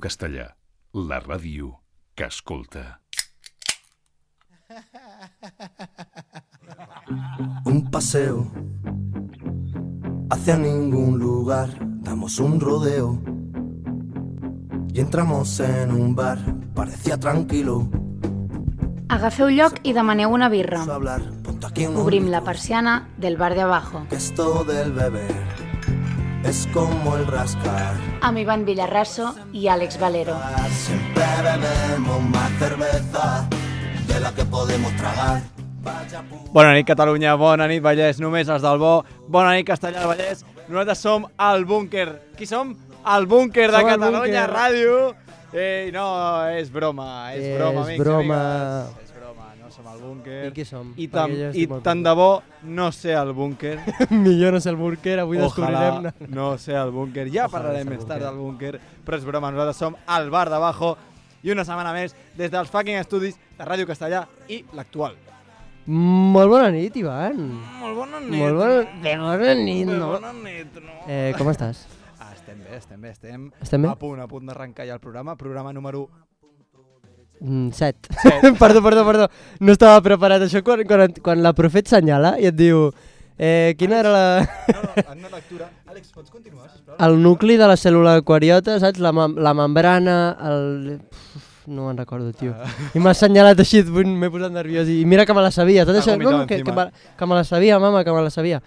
Castellà, la ràdio que escolta. Un paseo hacia ningún lugar, damos un rodeo y entramos en un bar, parecía tranquilo. Agafeu lloc i demaneu una birra. Hablar, ponte aquí un Obrim la persiana del bar de abajo. que esto del beber es como el rascar. Amb Ivan Villarraso i Àlex Valero. Siempre bebemos más cerveza de la que podemos tragar. Bona nit, Catalunya, bona nit, Vallès, només els del bo. Bona nit, Castellà del Vallès. Nosaltres som al búnquer. Qui som? El búnquer de Som al Catalunya búnquer. Ràdio. No, és broma, és broma, amics i broma. amigues. És broma, no som al búnquer. I qui som? I, Perquè jo estic molt tant de bo no sé el búnquer. Millor no sé el búnquer, avui Ojalà descobrirem... no sé el búnquer. Ja Ojalà parlarem no sé el més tard búnquer. del búnquer, però és broma, nosaltres som al bar d'abajo i una setmana més des dels fucking estudis de Ràdio Castellà i l'Actual. Molt bona nit, Ivan. Molt bona nit. Molt bona nit, no? Bona nit, no? Com estàs? Estem bé. Estem bé? A punt d'arrencar ja el programa número... 7. Perdó. No estava preparat. Això quan la Profet senyala i et diu... quina era la... No, en una lectura... Àlex, pots continuar, sisplau? El nucli de la cèl·lula eucariota, saps? La membrana, el... No me'n recordo, tio. I m'ha assenyalat així, m'he posat nerviós. I mira que me la sabia. Tot això, no, que me la sabia, mama, que me la sabia.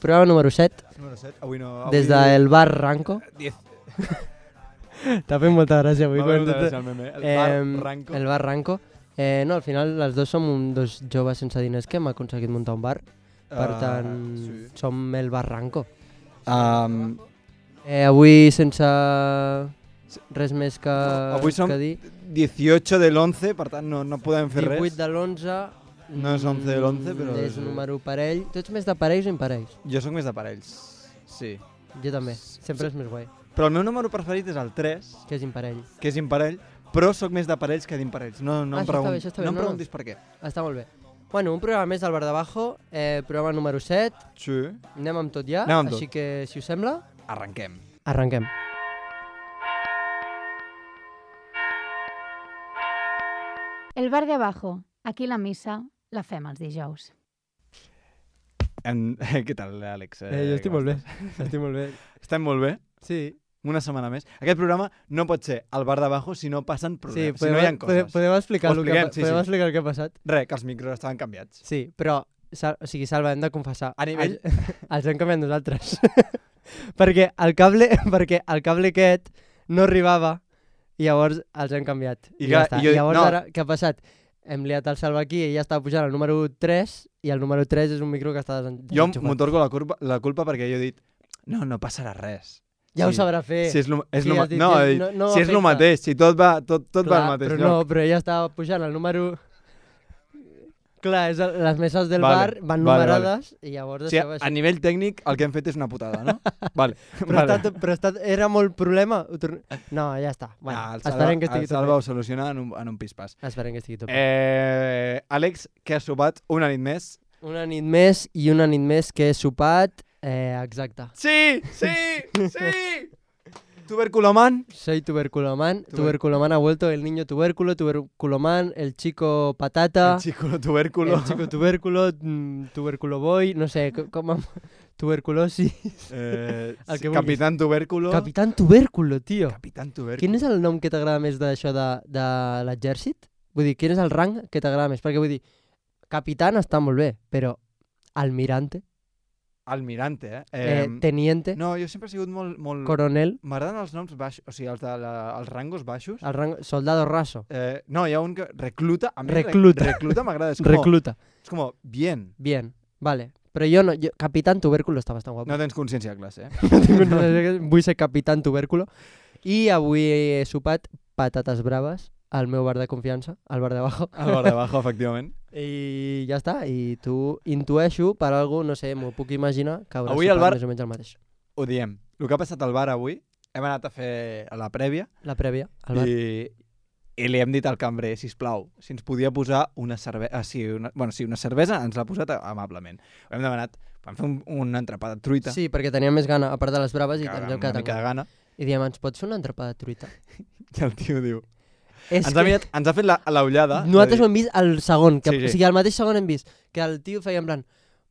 Programa número 7. Número 7. Avui no... Des del bar Ranco. 10. T'ha fet molta gràcia avui. M'ha fet molta gràcia el meme. El bar Ranco. El bar Ranco. No, al final les dos som dos joves sense diners que hem aconseguit muntar un bar. Per tant, sí. som el bar Ranco. Avui sense res més que Avui som que dir. 18 de l'11, per tant no podem fer 18 res. de l'11. No és 11 de l'11, però... És número parell. Tu ets més de parells o imparells? Jo sóc més de parells, sí. Jo també. Sempre és més guai. Però el meu número preferit és el 3, Que és imparell. que és imparell, però sóc més de parells que d'imparells. No em això està bé, no em no. preguntis per què. Està molt bé. Bueno, un programa més del Bar d'Abajo, programa número 7. Sí. Anem amb tot ja, Anem amb tot. així que, si us sembla, Arrenquem. arrenquem. El bar de abajo. Aquí la missa la fem els dijous. Què tal, Àlex? Jo estic molt bé. Estic molt bé. Estem molt bé? Sí. Una setmana més. Aquest programa no pot ser al bar d'abajo si no passen problemes, si podem, no hi ha coses. podem explicar, Ho el que, expliquem, sí. podem explicar el que ha passat? Res, que els micros estaven canviats. Sí, però, o sigui, Salva, hem de confessar. A nivell- Els hem canviat nosaltres. perquè el cable aquest no arribava i llavors els hem canviat. I I, clar, ja està. jo- I llavors no. ara, què ha passat? Hem liat el Salva aquí i ella estava pujant al número 3 i el número 3 és un micro que està Jo m'otorgo la culpa perquè jo he dit no passarà res. Ja ho Sí. sabrà fer. Si és lo, és Sí, lo, has dit, no, ja, he dit, no si és el afecta. mateix, si tot va al mateix però lloc. no, però ella estava pujant al número... Clar, les meses del Vale, bar van vale, numerades i llavors O sigui, això va a nivell tècnic el que hem fet és una putada, no? Vale. Però era molt problema? No, ja està. Bueno, el esperem que estigui tot Salva bé. ho soluciona en un pispàs. Esperem que estigui tot bé. Àlex, que has sopat una nit més? Una nit més i una nit més que he sopat, exacte. Sí! Tuberculoman? Soy tuberculoman. Tuberculoman ha vuelto, el niño tubérculo, tuberculoman, el chico patata, El chico tubérculo. el chico tubérculo, tuberculo boy, no sé, com tuberculosis. El que Capitán Tubérculo. Capitán tubérculo, tio. Capitán Tubérculo. Quin és el nom que t'agrada més d'això de l'exèrcit? Vull dir, quin és el rang que t'agrada més? Perquè vull dir, capitán està molt bé, però almirante, Almirante, teniente, No, jo sempre he sigut molt... coronel, M'agraden els noms baixos, o sigui, els rangos baixos. el rang, soldado raso, No, hi ha un que... Recluta. A mi Recluta. Recluta m'agrada. És com, recluta. És com, bien. Bien, vale. Però jo no, capitán tubérculo està bastant guapo. No tens consciència de classe, No tinc vull ser capitán tubérculo. I avui he sopat patates braves al meu bar de confiança, al bar d'abajo. Al bar d'abajo, efectivament. I ja està, i tu intueixo per algú, no sé, m'ho puc imaginar, que hauràs Avui sopat al bar- més o menys el mateix. Ho diem. El que ha passat al bar avui, hem anat a fer la prèvia La prèvia, al bar. i li hem dit al cambrer, sisplau, si ens podia posar una cervesa... una cervesa ens l'ha posat amablement. Ho hem demanat, vam fer un entrepà de truita, Sí, perquè tenia més gana, a part de les braves, i ens hem una quedat mica de amb gana. I diem, ens pots fer una entrepà de truita? I el tio diu... És Ens ha fet l'ullada. Nosaltres ho hem vist al segon, que, Sí. o sigui, al mateix segon hem vist que el tio feia en plan,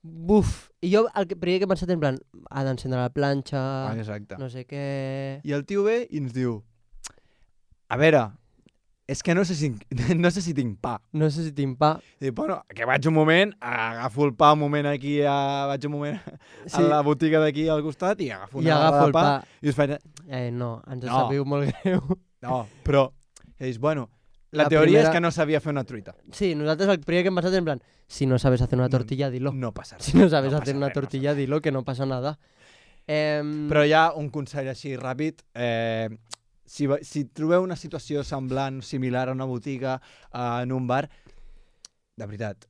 buf, i jo el primer que he pensat en plan, ha d'encendre la planxa, Exacte. no sé què... I el tio ve i ens diu, a veure, és que no sé si tinc pa. No sé si tinc pa. I dic, bueno, que vaig un moment, agafo el pa un moment aquí, vaig un moment a la botiga d'aquí al costat i agafo una barra de pa. I us faig... No, ens sabeu molt greu. No, però, que dius, bueno, la La teoria primera- és que no sabia fer una truita. Sí, nosaltres el primer que hem pensat en plan, si no sabes hacer una tortilla, dilo. No passa res. Si no sabes No hacer passa una res, tortilla, dilo, que no passa nada. Però hi ha un consell així ràpid. Si trobeu una situació semblant, similar a una botiga, en un bar, de veritat,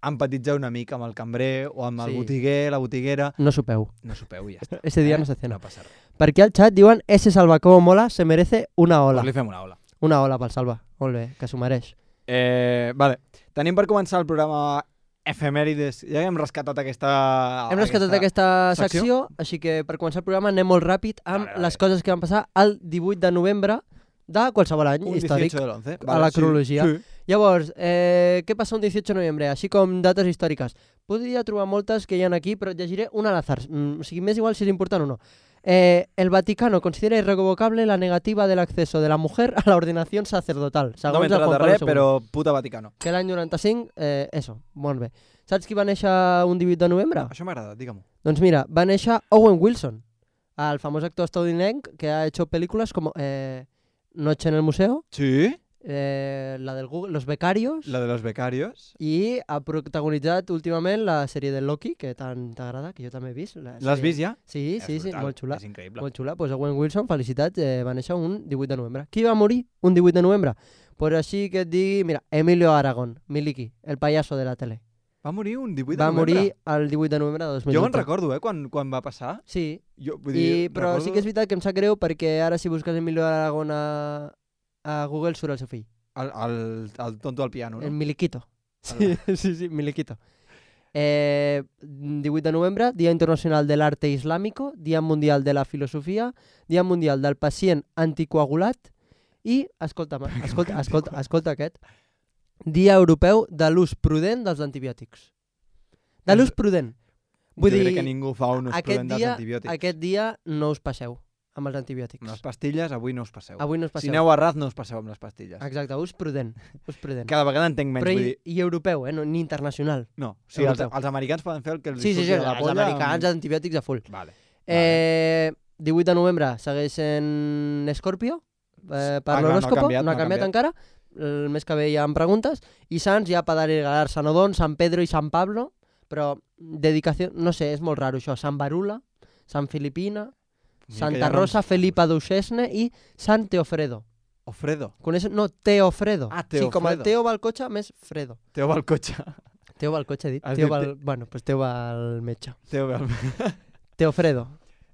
empatitzeu una mica amb el cambrer o amb el Sí. botiguer, la botiguera. No sopeu. No sopeu i ja està. Ese día no se cena. No passa res. Per aquí al xat diuen, ese Salva com mola, se merece una ola. Pues li fem una ola. Una ola pel Salva. Molt bé, que s'ho mereix. Vale. Tenim per començar el programa Efemèrides. Ja hem rescatat aquesta... Hem rescatat aquesta secció, així que per començar el programa anem molt ràpid amb Vale. les coses que van passar el 18 de novembre de qualsevol any Un històric. 18 de l'11. a la cronologia. Sí. Llavors, què passa un 18 de novembre? Així com dates històriques. Podria trobar moltes que hi ha aquí, però et llegiré una al azar. O sigui, m'és igual si és important o no. El Vaticano considera irrevocable la negativa del acceso de la mujer a la ordenación sacerdotal. No Segons m'he el entrat Juan de Pablo res, II. però puta Vaticano. Que l'any 95, eso, molt bé. Saps qui va néixer un 18 de novembre? Això m'agrada, digue-m'ho. Doncs mira, va néixer Owen Wilson, el famós actor estadounidense que ha hecho películas como Noche en el Museo, Sí? la del Google, Los Becarios, La de los becarios. i ha protagonitzat últimament la sèrie de Loki, que tant t'agrada, que jo també he vist. L'has vist ja? Sí, sí, És sí, brutal, molt xula. És increïble. Molt xula. Pues Owen Wilson, felicitats, va néixer un 18 de novembre. Qui va morir un 18 de novembre? Pues així que et digui, mira, Emilio Aragón, Miliki, el payaso de la tele. Va morir un 18 de Va novembre? morir el 18 de novembre de 2008. Jo me'n recordo, quan va passar. Sí, Jo, vull dir, però sí que és veritat que em sap greu perquè ara si busques Emilio Aragón a Google surt el seu fill. El tonto al piano, El no? Miliquito. Sí, sí, Miliquito. 18 de novembre, Dia Internacional de l'Arte Islámico, Dia Mundial de la Filosofia, Dia Mundial del Pacient Anticoagulat i, escolta aquest, Dia Europeu de l'ús prudent dels antibiòtics. De l'ús prudent. Vull jo dir, crec que ningú fa un ús prudent dels antibiòtics. aquest dia no us passeu amb els antibiòtics. Les pastilles, avui no us passeu. Avui no us Si passeu. aneu a ras, no us passeu amb les pastilles. Exacte, ús prudent. Ús prudent. Cada vegada entenc menys, Però vull dir... i europeu, no, ni internacional. No, o sigui, els Europeu. americans poden fer el que els Sí, surti sí, de la els polla. americans, antibiòtics a full. Vale. 18 de novembre segueix sent Escorpio, per no ha l'horòscopo, canviat, no ha canviat encara. El mes que ve hi ha preguntes. I Sants ja per regalar Sant Odón, Sant Pedro i Sant Pablo, però dedicació, no sé, és molt raro això. Sant Barula, Sant Filipina, Santa Rosa, Felipa d'Uxesne i Sant Teofredo. Ofredo. Coneixes? No, Teofredo. Ah, Sí, com el Teofredo. Teo va al cotxe, més Fredo. Teo va al cotxe. Teo va al cotxe, he dit. Has Teo dit va al... Bueno, pues Teo va al metge. Teo va al... Teofredo.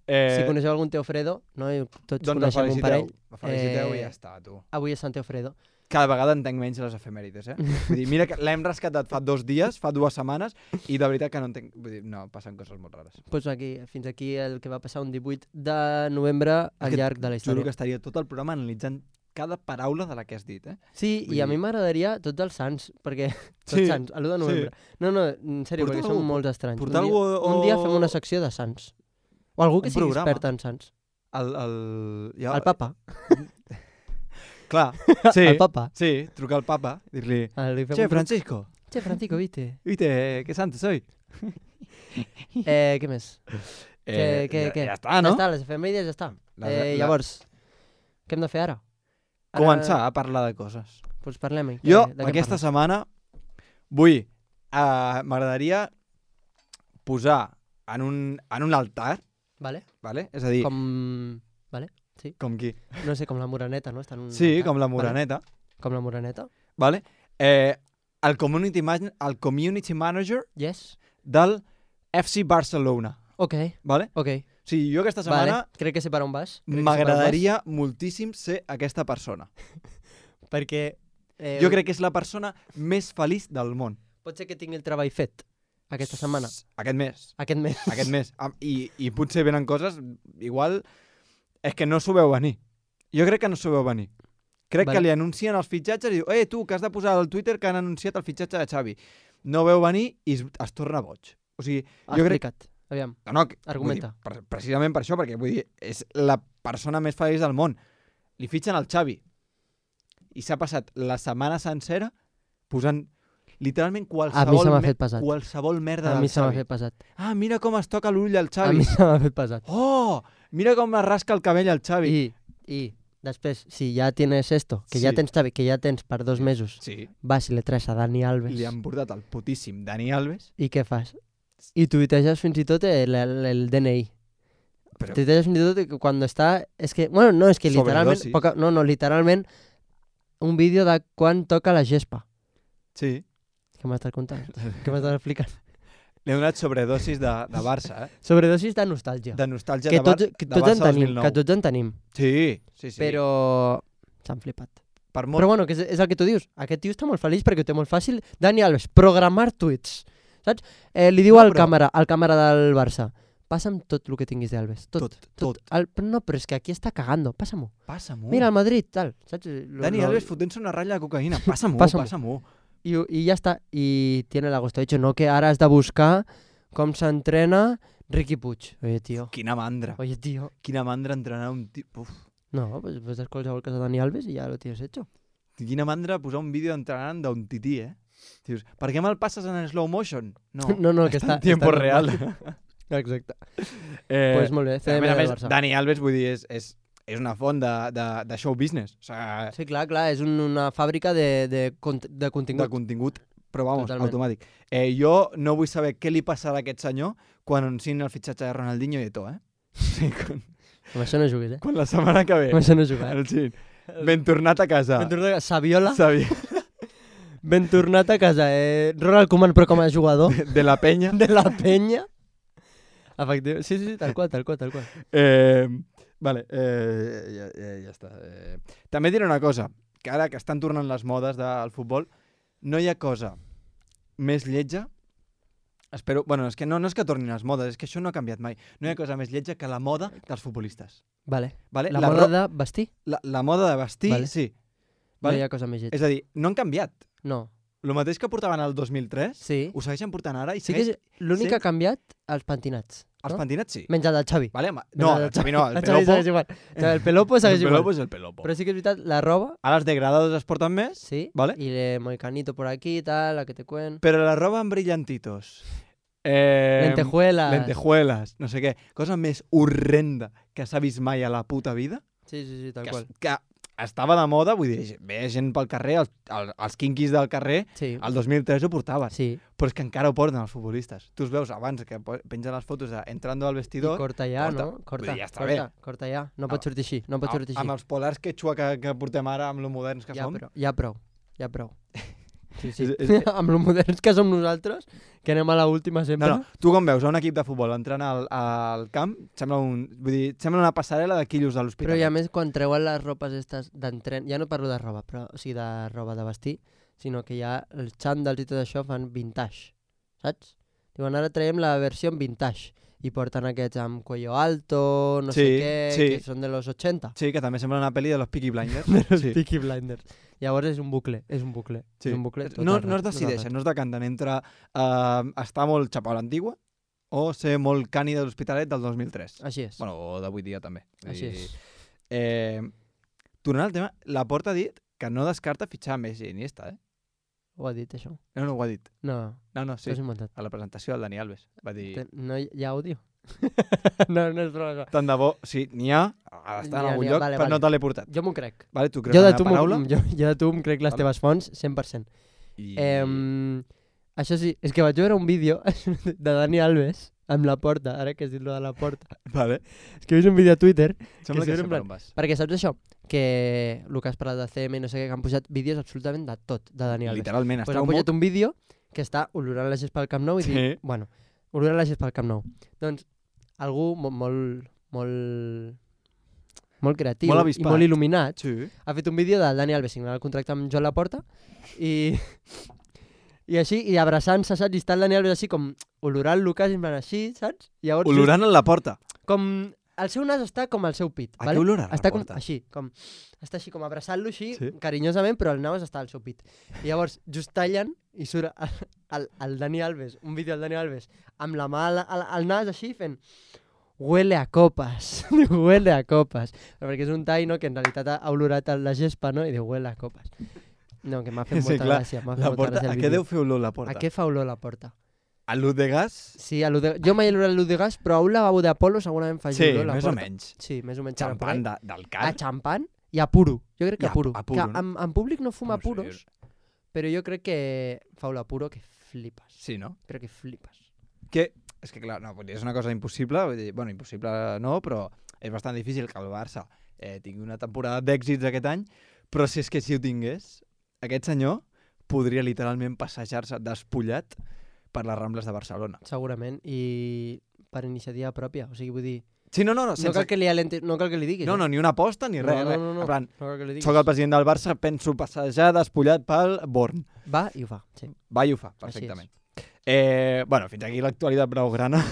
Si Eh, coneixeu algun Teofredo, no? Tots doncs coneixem un parell. el feliciteu i ja està, tu. Avui és Sant Teofredo. Cada vegada entenc menys les efemèrides, Vull dir, mira que l'hem rescatat fa 2 dies, fa 2 setmanes, i de veritat que no entenc... Vull dir, no, passen coses molt rares. Pues aquí, fins aquí el que va passar un 18 de novembre al llarg de la Juro història. que estaria tot el programa analitzant cada paraula de la que has dit, Sí, vull i a dir- mi m'agradaria tots els sants, perquè... Tots Sí, sants, a l'1 de novembre. No, no, en sèrio, Portar perquè són algú- molts estranys. portar un dia, algú un dia o- fem una secció de sants. O algú que Un sigui programa. expert en sants. Ja, El papa. Clar, sí, El papa. sí, trucar al papa, dir-li... Li fem Che, un- Francisco, Che, Francisco, ¿viste? ¿viste qué santo soy? Què més? Què? Ja està, no? Ja està, les efemèrides ja està. Llavors, què hem de fer ara? Començar a parlar de coses. Doncs parlem-hi. Jo, De què aquesta parles? setmana, vull... M'agradaria posar en un altar, Vale? vale? És a dir, Com... com qui? No sé, com la Moreneta, no? Està en un Sí, altar. com la Vale. Moreneta, Com la Moreneta. vale? El community manager Yes. del FC Barcelona, Ok, vale? ok. O sigui, jo aquesta setmana Vale. Crec que sé per on vas. m'agradaria moltíssim ser aquesta persona. Perquè... Jo crec que és la persona més feliç del món. Pot ser que tingui el treball fet aquesta setmana. Aquest mes. Aquest mes. Aquest mes. I potser venen coses, igual, És que no s'ho veu venir. Jo crec que no s'ho veu venir. Crec Vale. que li anuncien els fitxatges i diu tu, que has de posar al Twitter que han anunciat el fitxatge de Xavi. No veu venir i es torna boig. O sigui, jo crec... Explica't. Aviam. No, Argumenta. Vull dir, precisament per això, perquè vull dir, és la persona més feliç del món. Li fitxen el Xavi. I s'ha passat la setmana sencera posant literalment qualsevol merda A del mi se m'ha Xavi. fet pesat. Ah, mira com es toca l'ull al A Xavi. mi se m'ha fet pesat. Oh, mira com es rasca el cabell al Xavi. I després, si ja tienes esto, que Sí. ja tens Xavi, que ja tens per 2 mesos, Sí, vas i le traes a Dani Alves, li han portat el putíssim Dani Alves. i què fas? I tuiteges fins i tot el DNI. Però Tuiteges fins i tot que quan està... És que, bueno, no, és que literalment... Sobredosis. Literalment un vídeo de quan toca la gespa. sí, Què m'estàs contant? Què m'estàs explicant? li ha donat sobredosis de Barça, Sobredosis de nostàlgia. de nostàlgia Que de, que de tots Barça en tenim, 2009. que tots en tenim. Sí. Però s'han flipat. Per molt... Però bueno, que és el que tu dius. Aquest tio està molt feliç perquè ho té molt fàcil. Dani Alves, programar tuits. Saps? Li diu No, al però- càmera del Barça, passa'm tot el que tinguis d'Alves. Tot. Tot. No, però és que aquí està cagando. Passa-m'ho. Passa-m'ho. Mira, al Madrid, tal. Saps? Dani Alves fotent-se una ratlla de cocaïna. Passa-m'ho, Passa-m'ho. passa-m'ho. I ja està. I tiene la gusto hecho. No que ara has de buscar com s'entrena Riqui Puig. Oye, tío. Quina mandra. Oye, tío. Quina mandra entrenar un tio... Uf. No, pues ves qualsevol cosa de Dani Alves i ja lo tienes hecho. Quina mandra posar un vídeo entrenant d'un tití, Dius, per què me'l passes en slow motion? No, No, que està en tiempo està real. Exacte. Pues molt bé, a CDM més a del més, Barça. Dani Alves, vull dir, és una font de show business. O sigui, Sí, clar, és una fàbrica de de contingut. contingut, però vamos, Totalment. automàtic. Jo no vull saber què li passarà a aquest senyor quan anunciïn el fitxatge de Ronaldinho i Eto'o, Sí, Amb això no juguis, quan la setmana que ve Amb això no juguis. anunciïn, ben tornat a casa. Saviola, Sabia, ben tornat a casa. Ronald Koeman, però com a jugador de la penya. de la penya. Efectivament. Sí, tal qual. Vale, ja està. També diré una cosa, que ara que estan tornant les modes del futbol, no hi ha cosa més lletja, bueno, és que no és que tornin les modes, és que això no ha canviat mai. No hi ha cosa més lletja que la moda dels futbolistes. Vale. Vale? La moda de vestir? La moda de vestir, Vale. sí. No Vale? hi ha cosa més lletja. És a dir, no han canviat. No. El mateix que portaven el 2003, Sí. ho segueixen portant ara i Sí que segueix... l'únic sí. que ha canviat, els pentinats. Els no? pentinats sí. Menys el del Xavi. Vale? No, el Xavi no, el El Xavi Pelopo. segueix igual. El Pelopo segueix El igual. Pelopo és el Pelopo. Però sí que és veritat, la roba, Ara els degradados es porten més, sí, Vale. y le moicanito por aquí, tal, la que te cuen. però la roba amb brillantitos. Lentejuelas. No sé què. Cosa més horrenda que s'ha vist mai a la puta vida. Sí, tal Que, qual. que estava de moda, vull dir, ve gent pel carrer, els quinquis del carrer, Sí, el 2003 ho portaven. sí. Però és que encara ho porten els futbolistes. Tu els veus abans que pengen les fotos de entrando al I vestidor. corta ja, corta. no? Corta, Vull dir, ja està corta ja. No pot sortir així, no pot sortir així. Amb els polars quechua que portem ara, amb lo moderns que som. Ja prou. Sí. És- Amb lo moderns que som nosaltres, que anem a la última sempre. No, tu com veus a un equip de futbol entrant al camp, sembla una passarel·la de quillos de Però l'hospital. i a més, quan treuen les ropes estas d'entren... Ja no parlo de roba, però o sigui, de roba de vestir, sinó que ja els xandals i tot això fan vintage, saps? Diuen, ara traiem la versió en vintage. I porten aquests amb cuello alto, no sé Sí, què, sí. que són de los 80. Sí, que també sembla una pel·li de los Peaky Blinders. Sí. Peaky Blinders. Llavors és un bucle. Sí. És un bucle tot No el es rato, decideixen, no es decanten entre estar molt xapau a l'antigua o ser molt cani de l'Hospitalet del 2003. Així és. Bueno, o d'avui dia també. Així és. Tornant al tema, Laporta ha dit que no descarta fitxar Messi i Iniesta, Ho ha dit, això? No ho ha dit. No, No, sí. sí. T'ho has inventat. A la presentació del Dani Alves. Va dir... No hi ha àudio? no és broma. Tant de bo, sí, n'hi ha d'estar en algun lloc, vale, però no te l'he portat. Jo m'ho crec. Vale, tu creus Jo en de la tu, paraula? jo de tu em crec les Vale. teves fonts 100%. I... Això sí, és que vaig veure un vídeo de Dani Alves amb la porta, ara que has dit lo de la porta. Vale. És que he vist un vídeo a Twitter, Sembla sí, que en sé plan- per on vas. perquè saps això? Que el que has parlat de CM i no sé què, que han posat vídeos absolutament de tot, de Dani Alves. Literalment, Pues està han un posat moc... un vídeo que està olorant la gespa al Camp Nou i Sí. dic, bueno, olorant la gespa al Camp Nou. Doncs algú molt creatiu Molt i avispat. molt il·luminat Sí. ha fet un vídeo del Dani Alves signant el contracte amb Joan Laporta i així, i abraçant-se, saps? I està el Dani Alves així com olorant-lo quasi en plan així, saps? Llavors, Olorant en la porta. com el seu nas està com al seu pit. A què olor està com reporta? està així com abraçant-lo així, Sí. carinyosament, però el nas està al seu pit. I llavors just tallen i surt el Dani Alves, un vídeo del Dani Alves, amb la mà al nas així fent huele a copas, diu huele a copas, perquè és un tall, no?, que en realitat ha olorat la gespa, no?, i diu huele a copas. No, que m'ha fet molta gràcia. La porta, a què deu fer olor la porta? A què fa olor la porta? A l'ut de gas? Sí, jo mai he olorat l'ut de gas, però a un lavabo d'Apolo segurament fa Sí, olor la més o porta. menys. Sí, més o menys. Xampan del car? A xampan i a puro. Jo crec que I a puro. a puro, Que en públic no fuma No sé. puros, però jo crec que fa olor a puro que flipes. Sí, no? Crec que flipes. Que, és que clar, no, vull dir, és una cosa impossible, vull dir, bueno, impossible no, però és bastant difícil que el Barça tingui una temporada d'èxits aquest any, però si és que si ho tingués, aquest senyor podria literalment passejar-se despullat per les Rambles de Barcelona. Segurament. I per iniciativa pròpia. O sigui, vull dir, Sí, no, no cal que li diguis. No, ni una aposta ni res. res. No En plan, cal que li diguis. soc el president del Barça, penso passejar despullat pel Born. Va i ho fa, sí. Va i ho fa, perfectament. Bueno, fins aquí l'actualitat blaugrana.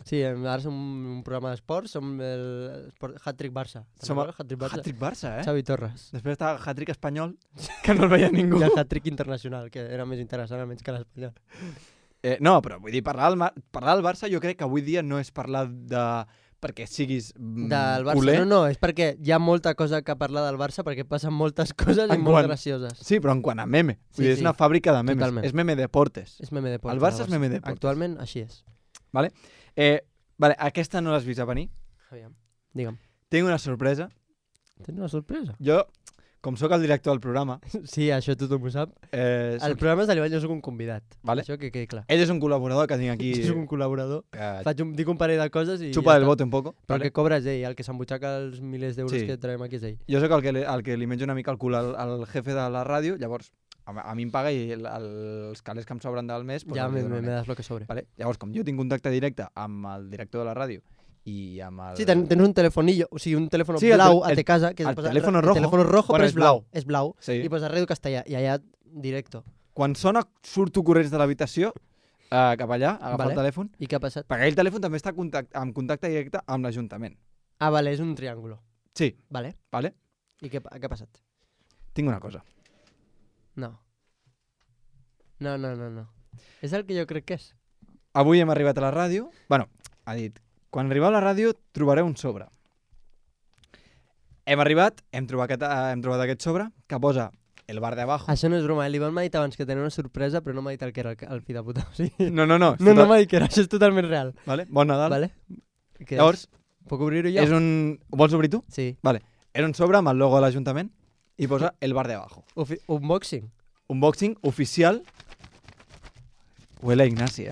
Sí, ara som un programa d'esports, som el Hat-Trick Barça. Som el Hat-Trick Barça. Hat-trick Barça, Xavi Torres. Després estava Hat-trick espanyol, que no el veia ningú. I el Hat-Trick internacional, que era més interessant almenys que l'espanyol. No, però vull dir, parlar del Barça jo crec que avui dia no és parlar de... perquè siguis Del Barça. culer. No, és perquè hi ha molta cosa que parlar del Barça, perquè passen moltes coses i En molt quant- gracioses. Sí, però en quant a meme. Sí, Vull dir, és sí. una fàbrica de memes. Totalment. És meme deportes. És meme de portes. El Barça del és meme de portes. Actualment, així és. Vale, aquesta no l'has vist a venir. Aviam, digue'm. Tinc una sorpresa. Tens una sorpresa? Jo, com sóc el director del programa... Sí, això tothom ho sap. El soc... programa és de l'Ivan, jo soc un convidat. Vale. Això que quedi clar. Ell és un col·laborador que tinc aquí... Jo soc un col·laborador. Dic un parell de coses i Xupa ja del està. bote un poco. Però vale? el que cobra és ell, el que s'embutxaca els milers d'euros Sí. que traiem aquí és ell. Jo sóc el que li menjo una mica el cul al jefe de la ràdio, llavors a mi em paga i els calés que em sobren del mes... Ja els me li dono a ell. das lo que sobre. Vale? Llavors, com jo tinc contacte directe amb el director de la ràdio i amb el... Sí, tens un telefonillo, o sigui, un telèfon Sí, blau a te casa, que el posa teléfono rojo. El teléfono rojo, Bueno, però és blau. És blau. Sí. I posa Ràdio Castellà, i allà directo. Quan sona, surto corrents de l'habitació cap allà, a agafar Vale. el telèfon, I què ha passat? perquè aquell telèfon també està en contacte directe amb l'Ajuntament. Ah, vale, és un triàngulo. Sí, Vale. vale? I què ha passat? Tinc una cosa. No. No. És el que jo crec que és. Avui hem arribat a la ràdio. Bueno, ha dit, quan arribeu a la ràdio trobareu un sobre. Hem arribat, hem trobat aquest sobre que posa el bar de abajo. Això no és broma, l'Ivan m'ha dit abans que tenia una sorpresa, però no m'ha dit el que era el fill de puta. O sigui, No. no m'ha dit que era, això és totalment real. Vale? Bon Nadal. Vale? Què Llavors, és? Puc obrir-ho jo? és un... Ho vols obrir tu? Sí. Vale. És un sobre amb el logo de l'Ajuntament i posa el bar de abajo. Unboxing. Unboxing oficial. Huele a Ignasi,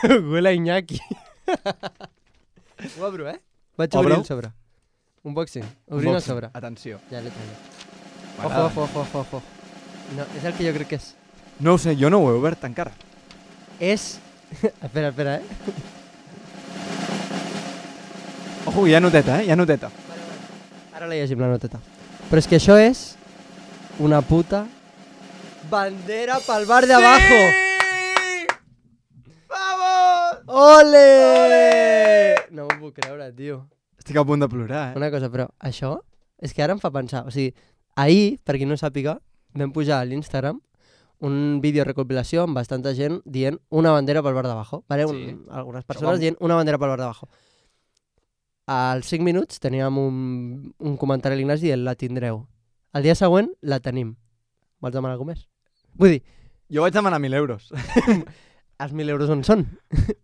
Huele a Iñaki. Ho obro, Vaig obrir el sobre. Unboxing. Obrint el sobre. Atenció. Ja l'he tret. M'agrada. Ojo. No, és el que jo crec que és. No ho sé, jo no ho he obert encara. És... Espera, Ojo, hi ha noteta, hi ha noteta. Ara la llegim, la noteta. Però és que això és una puta bandera pel bar de abajo. ¡Vamos! Ole! No m'ho puc creure, tio. Estic a punt de plorar, Una cosa, però això és que ara em fa pensar. O sigui, ahir, per qui no sàpiga, vam pujar a l'Instagram un vídeo recopilació amb bastanta gent dient una bandera pel bar d'abajo. Vale? Sí. Algunes persones dient una bandera pel bar d'abajo. Als 5 minuts teníem un comentari a l'Ignasi dient la tindreu. El dia següent la tenim. Vols demanar alguna més? Vull dir, Jo vaig demanar 1.000 euros. els 1.000 euros on són?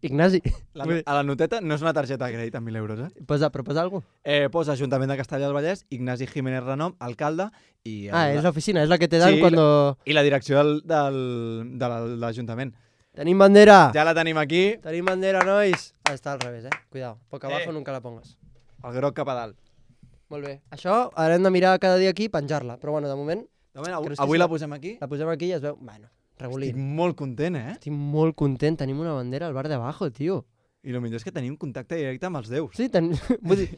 Ignasi. A la noteta no és una targeta de crèdit amb 1.000 euros, Però posa alguna cosa? Posa Ajuntament de Castellar del Vallès, Ignasi Jiménez Renom, alcalde, i, És l'oficina, és la que te dan Sí, cuando... i la direcció de l'Ajuntament. Tenim bandera! Ja la tenim aquí, Tenim bandera, nois! Està al revés, Cuidado. Poc abajo nunca la pongas. el groc cap a dalt. Molt bé. Això haurem de mirar cada dia aquí i penjar-la. Però bueno, de moment De moment, Que no avui estic- la posem aquí. la posem aquí i es veu... Bueno, regulín. Estic molt content, Estic molt content. Tenim una bandera al bar de abajo, tio. I el millor és que tenim contacte directe amb els déus. Sí, vull dir,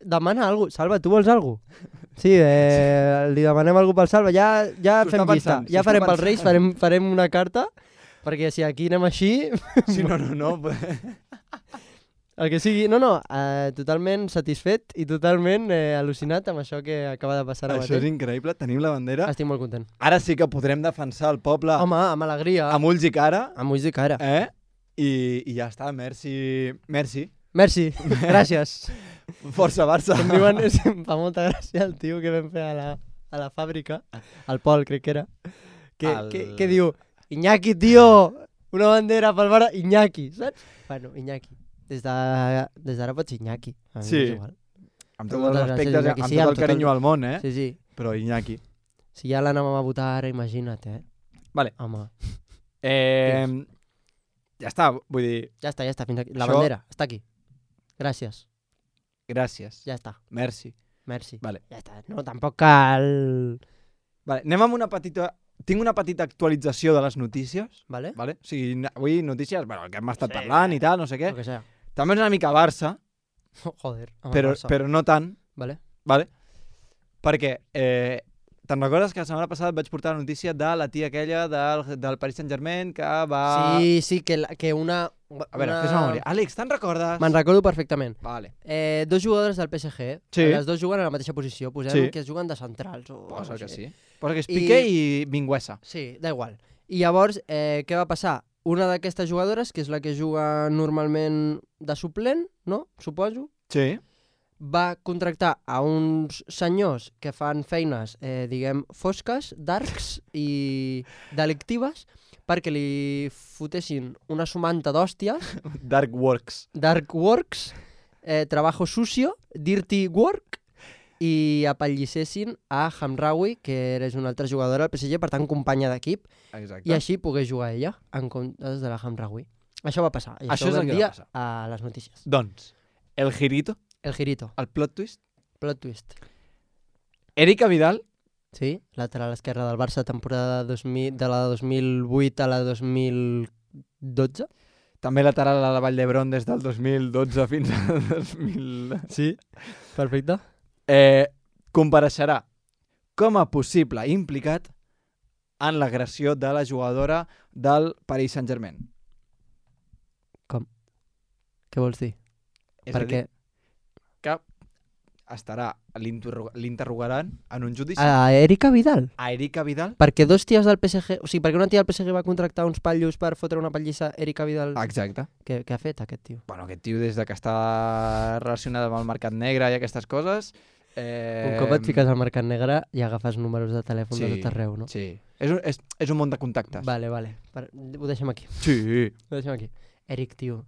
demana alguna cosa. Salva, tu vols alguna cosa? Sí, li demanem alguna cosa pel Salva. Ja S'ho fem està llista. pensant, Ja s'ho farem està pels Reis, farem una carta, perquè si aquí anem així... Sí, no. El que sigui, totalment satisfet i totalment al·lucinat amb això que acaba de passar ara mateix. Això és increïble, tenim la bandera. Estic molt content. Ara sí que podrem defensar el poble. Home, amb alegria. Amb ulls i cara. Amb ulls i cara. I ja està, merci. Merci, gràcies. Força Barça. Em diuen, em fa molta gràcia el tio que vam fer a la fàbrica, el Pol crec que era, que diu, Iñaki, tio, una bandera pel Barça, Iñaki, saps? Bueno, Iñaki. Des d'ara pots Iñaki. Sí. Amb tots els respectes, amb tot el carinyo al món, Sí. Però Iñaki. Si ja l'anàvem a votar ara, imagina't, Vale. Home. Ja està, vull dir... Ja està, fins aquí. La bandera, està aquí. Gràcies. Ja està. Merci. Vale. Ja està. No, tampoc cal... Vale, anem amb una petita... Tinc una petita actualització de les notícies. Vale. O sigui, avui notícies, bueno, el que hem estat parlant i tal, no sé què. El que sea. També és una mica Barça. Joder. Però no tant. Vale. Perquè, te'n recordes que la setmana passada et vaig portar la notícia de la tia aquella del Paris Saint-Germain que va... Sí, que una... A veure, fes memòria. Àlex, te'n recordes? Me'n recordo perfectament. Vale. Dos jugadores del PSG, sí. Les dos juguen a la mateixa posició, posem que es juguen de centrals. Posa que sí. Posa que és Piqué i Minguesa. Sí, da igual. I llavors, què va passar? Una d'aquestes jugadores, que és la que juga normalment de suplent, no? Suposo. Sí. Va contractar a uns senyors que fan feines, diguem, fosques, darks i delictives, perquè li fotessin una sumanta d'hòsties. Dark works, trabajo sucio, dirty work, i apallissessin a Hamraoui, que és una altra jugadora del PSG, per tant, companya d'equip, i així pogués jugar ella en comptes de la Hamraoui. Això va passar, i això ho vam dir a les notícies. Doncs, el girito. El girito. El plot twist. Erika Vidal. Sí, lateral esquerra del Barça, temporada de la 2008 a la 2012. També lateral a la Vall d'Hebron des del 2012 fins al 2000... Sí, perfecte. Compareixerà com a possible implicat en l'agressió de la jugadora del Paris Saint-Germain. Com? Què vols dir? Perquè que estarà, l'interrogaran en un judici. A Erika Vidal? A Erika Vidal? Perquè dos ties del PSG... O sigui, perquè una tia del PSG va contractar uns patllos per fotre una pallissa, Erika Vidal... Exacte. Què ha fet aquest tio? Bueno, aquest tio des de que està relacionat amb el mercat negre i aquestes coses... Un cop et fiques al mercat negre i agafes números de telèfon de tot arreu, no? Sí. És un món de contactes. Vale. Ho deixem aquí. Sí. Ho deixem aquí. Eric, tio,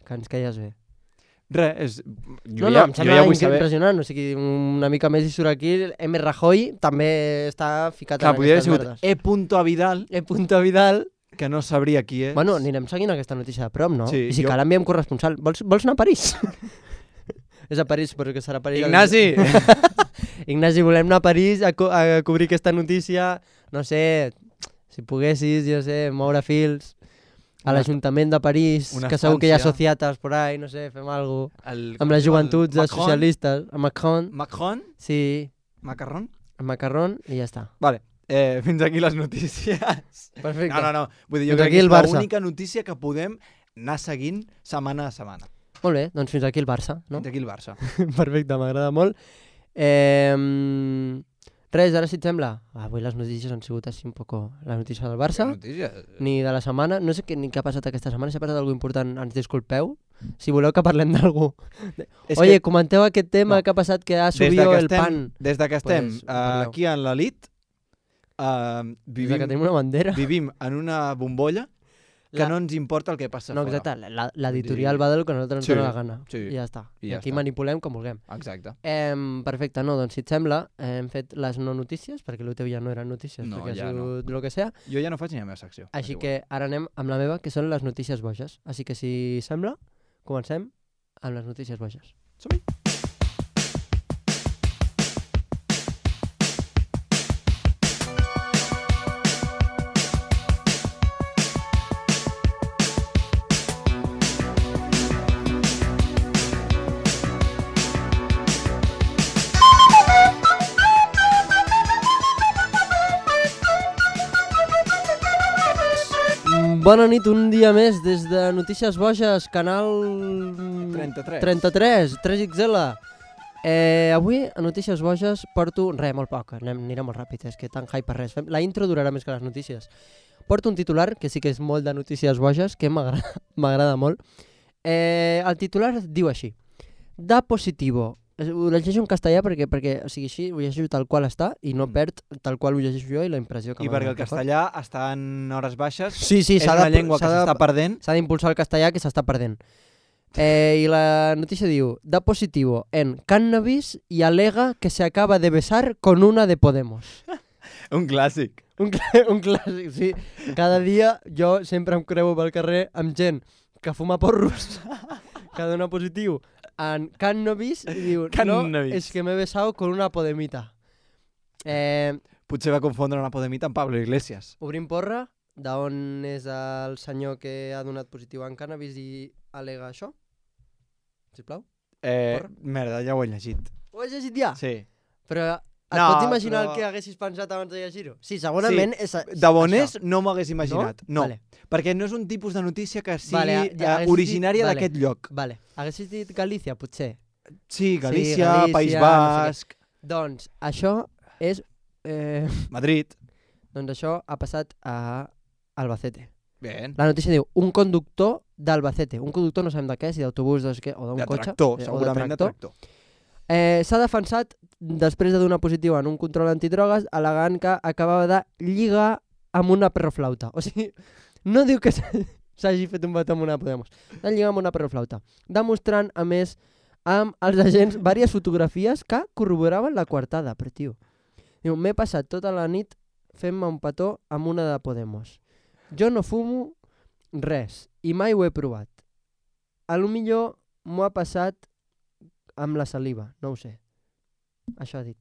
que ens caies bé. Res, em sembla impressionant, o sigui, una mica més i surt aquí, M. Rajoy també està ficat en aquestes merdes. E. Vidal. E. Vidal. Que no sabria qui és. Bueno, anirem seguint aquesta notícia de prop, no? Sí, i si cal enviem corresponsal. Vols anar a París? És a París, però que serà a París. Ignasi! Ignasi, volem anar a París a cobrir aquesta notícia. No sé, si poguessis, jo sé, moure fils... A l'Ajuntament de París, que segur que hi ha societats por ahí, no sé, fem alguna cosa. Amb les joventuts dels socialistes. A Macron. Macron? Sí. Macarrón? Macarrón i ja està. Vale, fins aquí les notícies. Perfecte. No. Vull dir, jo crec que és l'única notícia que podem anar seguint setmana a setmana. Molt bé, doncs fins aquí el Barça, no? Fins aquí el Barça. Perfecte, m'agrada molt. Res, ara si et sembla, avui les notícies han sigut així un poco la notícia del Barça, ni de la setmana, no sé ni què ha passat aquesta setmana, si ha passat alguna important, ens disculpeu, si voleu que parlem d'algú. Oye, comenteu aquest tema que ha passat, que ha subido el pan. Des que estem aquí en l'elit, vivim en una bombolla que no ens importa el que passa fora. No, exacte, l'editorial va del que a nosaltres ens dona la gana. I ja està. I aquí manipulem com vulguem. Exacte. Perfecte, no, doncs si et sembla, hem fet les no notícies, perquè el teu ja no eren notícies, perquè ha sigut el que sea. Jo ja no faig ni la meva secció. Així que ara anem amb la meva, que són les notícies boges. Així que si sembla, comencem amb les notícies boges. Som-hi! Bona nit, un dia més des de Notícies Boges, canal 33, 3XL. Avui a Notícies Boges porto... molt poc, anirà molt ràpid, és que tan hype per res. La intro durarà més que les notícies. Porto un titular, que sí que és molt de Notícies Boges, que m'agrada molt. El titular diu així: Da positivo. Ho llegeixo en castellà perquè o sigui, així ho llegeixo tal qual està i no perd tal qual ho llegeixo jo i la impressió que I perquè el castellà està en hores baixes, sí, és una llengua que s'està perdent. S'ha d'impulsar el castellà que s'està perdent. I la notícia diu: Da positivo en cannabis y alega que se acaba de besar con una de Podemos. Un clàssic. Un clàssic, sí. Cada dia jo sempre em creuo pel carrer amb gent que fuma porros, que dona positiu en cannabis i diu, no, és que m'he besado con una podemita. Potser va confondre una podemita amb Pablo Iglesias. Obrim porra, d'on és el senyor que ha donat positiu en cannabis i alega això? Sisplau? Merda, ja ho he llegit. Ho has llegit ja? Sí. Però et pots imaginar el que haguessis pensat abans de llegir-ho? Sí, segurament és de bon és no m'ho hagués imaginat. No, vale. Perquè no és un tipus de notícia que sigui originària d'aquest lloc. Vale. Haguessis dit Galícia, potser? Sí, Galícia, País Basc... Doncs això és... Madrid. Doncs això ha passat a Albacete. Bien. La notícia diu, un conductor d'Albacete. Un conductor no sabem de què, si d'autobús o d'un cotxe. De tractor, segurament de tractor. S'ha defensat després de donar positiu en un control antidrogues al·legant que acabava de lligar amb una perroflauta. O sigui, no diu que s'hagi fet un petó amb una Podemos. De lligar amb una perroflauta. Demostrant, a més, amb els agents diverses fotografies que corroboraven la coartada. Però, tio, diu, m'he passat tota la nit fent-me un petó amb una de Podemos. Jo no fumo res i mai ho he provat. A lo millor m'ho ha passat amb la saliva, no ho sé. Això ha dit.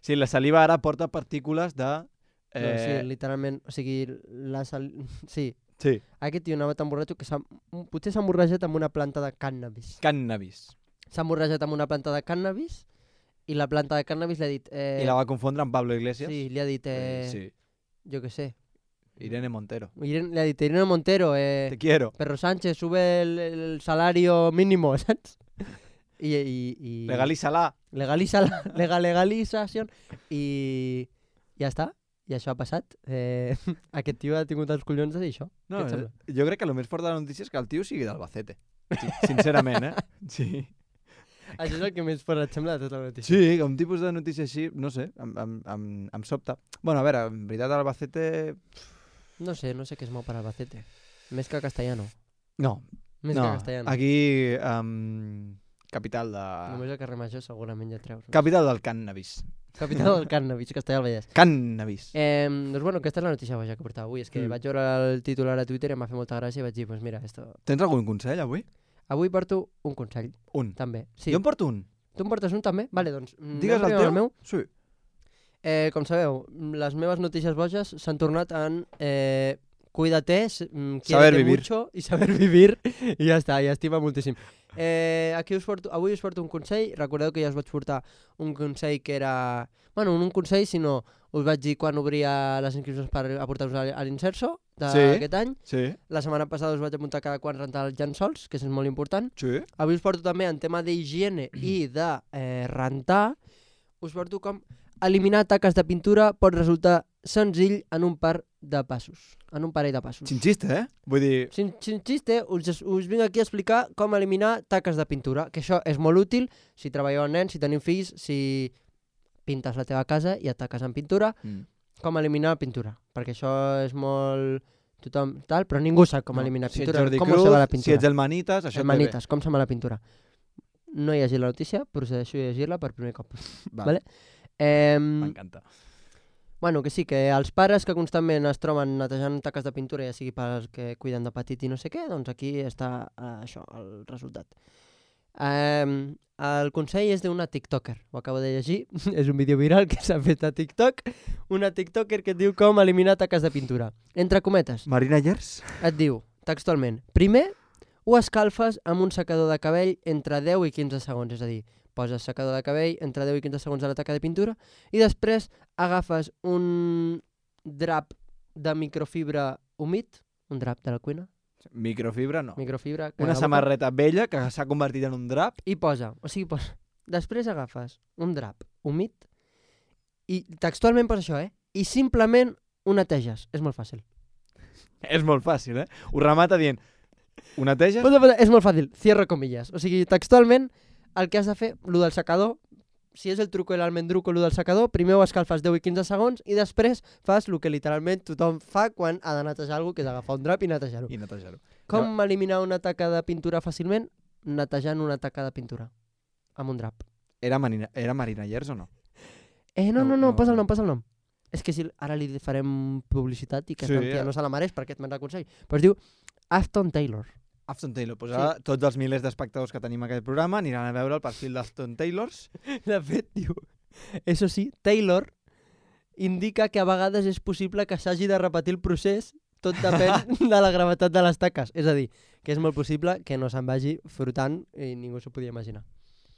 Sí, la saliva ara porta partícules de... No, sí, literalment, o sigui, sí. Aquest tio anava tan borratxo que potser s'ha emborratxat amb una planta de cannabis. S'ha emborratxat amb una planta de cannabis i la planta de cannabis li ha dit... I la va confondre amb Pablo Iglesias? Sí, li ha dit... Jo què sé. Irene Montero. Le ha dit, Irene Montero, te quiero. Perro Sánchez, sube el salario mínimo, saps? I Legalízala. Legalització. I ja està. I això ha passat. Aquest tio ha tingut els collons de dir això. No, jo crec que el més fort de la notícia és que el tio sigui d'Albacete. Sí, sincerament, Sí. Això és el que més fort et sembla de tota la notícia. Sí, un tipus de notícia així, no sé, em sobta. Bueno, a veure, en veritat Albacete... No sé què es mou per Albacete. Més que Castellano. No. Més que Castellano. Aquí, capital de... Només el carrer Major segurament ja treus. Capital del cannabis. Capital del cannabis, Castellà del Vallès. Cannabis. Doncs bueno, aquesta és la notícia boja que portava avui. És que vaig veure el titular a Twitter i em va fer molta gràcia i vaig dir, pues mira, esto... Tens algun consell avui? Avui porto un consell. Un? També. Sí. Jo en porto un. Tu en portes un també? Vale, doncs... Digues el teu? Meu. Sí. Com sabeu, les meves notícies boges s'han tornat en cuídate, saber vivir mucho i saber vivir i ja està, i estima moltíssim. Avui us porto un consell. Recordeu que ja us vaig portar un consell que era... Bueno, un consell, sinó us vaig dir quan obria les inscripcions per aportar-vos a l'Inserso d'aquest any. Sí. La setmana passada us vaig apuntar cada quan rentar els llençols, que és molt important. Sí. Avui us porto també en tema d'higiene i de rentar. Us porto com eliminar taques de pintura pot resultar senzill en un parell de passos. Sin xiste, Vull dir... Sin xiste, us vinc aquí a explicar com eliminar taques de pintura, que això és molt útil si treballeu amb nens, si teniu fills, si pintes la teva casa i et taques amb pintura, com eliminar pintura, perquè això és molt... tothom tal, però ningú sap com eliminar pintura. Si ets Jordi Cruz, si ets el Manitas, això el Manitas, com se'n va la pintura. No he llegit la notícia, procedeixo a llegir-la per primer cop. Vale? M'encanta. Bueno, que sí, que els pares que constantment es troben netejant taques de pintura, ja sigui pels que cuiden de petit i no sé què, doncs aquí està això, el resultat. El consell és d'una tiktoker, ho acabo de llegir, és un vídeo viral que s'ha fet a TikTok, una tiktoker que et diu com eliminar taques de pintura. Entre cometes. Marina Llers? Et diu, textualment, primer ho escalfes amb un secador de cabell entre 10 i 15 segons, és a dir, poses secador de cabell entre 10 i 15 segons a la taca de pintura i després agafes un drap de microfibra humit, un drap de la cuina, Microfibra no. microfibra... que Una agafa samarreta vella que s'ha convertit en un drap. I posa, després agafes un drap humit i textualment posa això, i simplement ho neteges. És molt fàcil. És molt fàcil, Ho remata dient, ho neteges? És molt fàcil, cierro comillas. O sigui, textualment, el que has de fer, lo del secador, si és el truco i l'almendruco, lo del secador, primer ho escalfes 10 i 15 segons i després fas el que literalment tothom fa quan ha de netejar alguna cosa, que és agafar un drap i netejar-ho. Com eliminar una taca de pintura fàcilment? Netejant una taca de pintura amb un drap. Era Marinallers o no? No, posa el nom. És que si ara li farem publicitat i que ja no se la mereix perquè et me'n consell. Però es diu Afton Taylor. Afton Taylor. Pues ara tots els milers d'espectadors que tenim a aquest programa aniran a veure el perfil d'Afton Taylors. De fet, diu, eso sí, Taylor indica que a vegades és possible que s'hagi de repetir el procés, tot depèn de la gravetat de les taques. És a dir, que és molt possible que no se'n vagi frotant i ningú s'ho podia imaginar.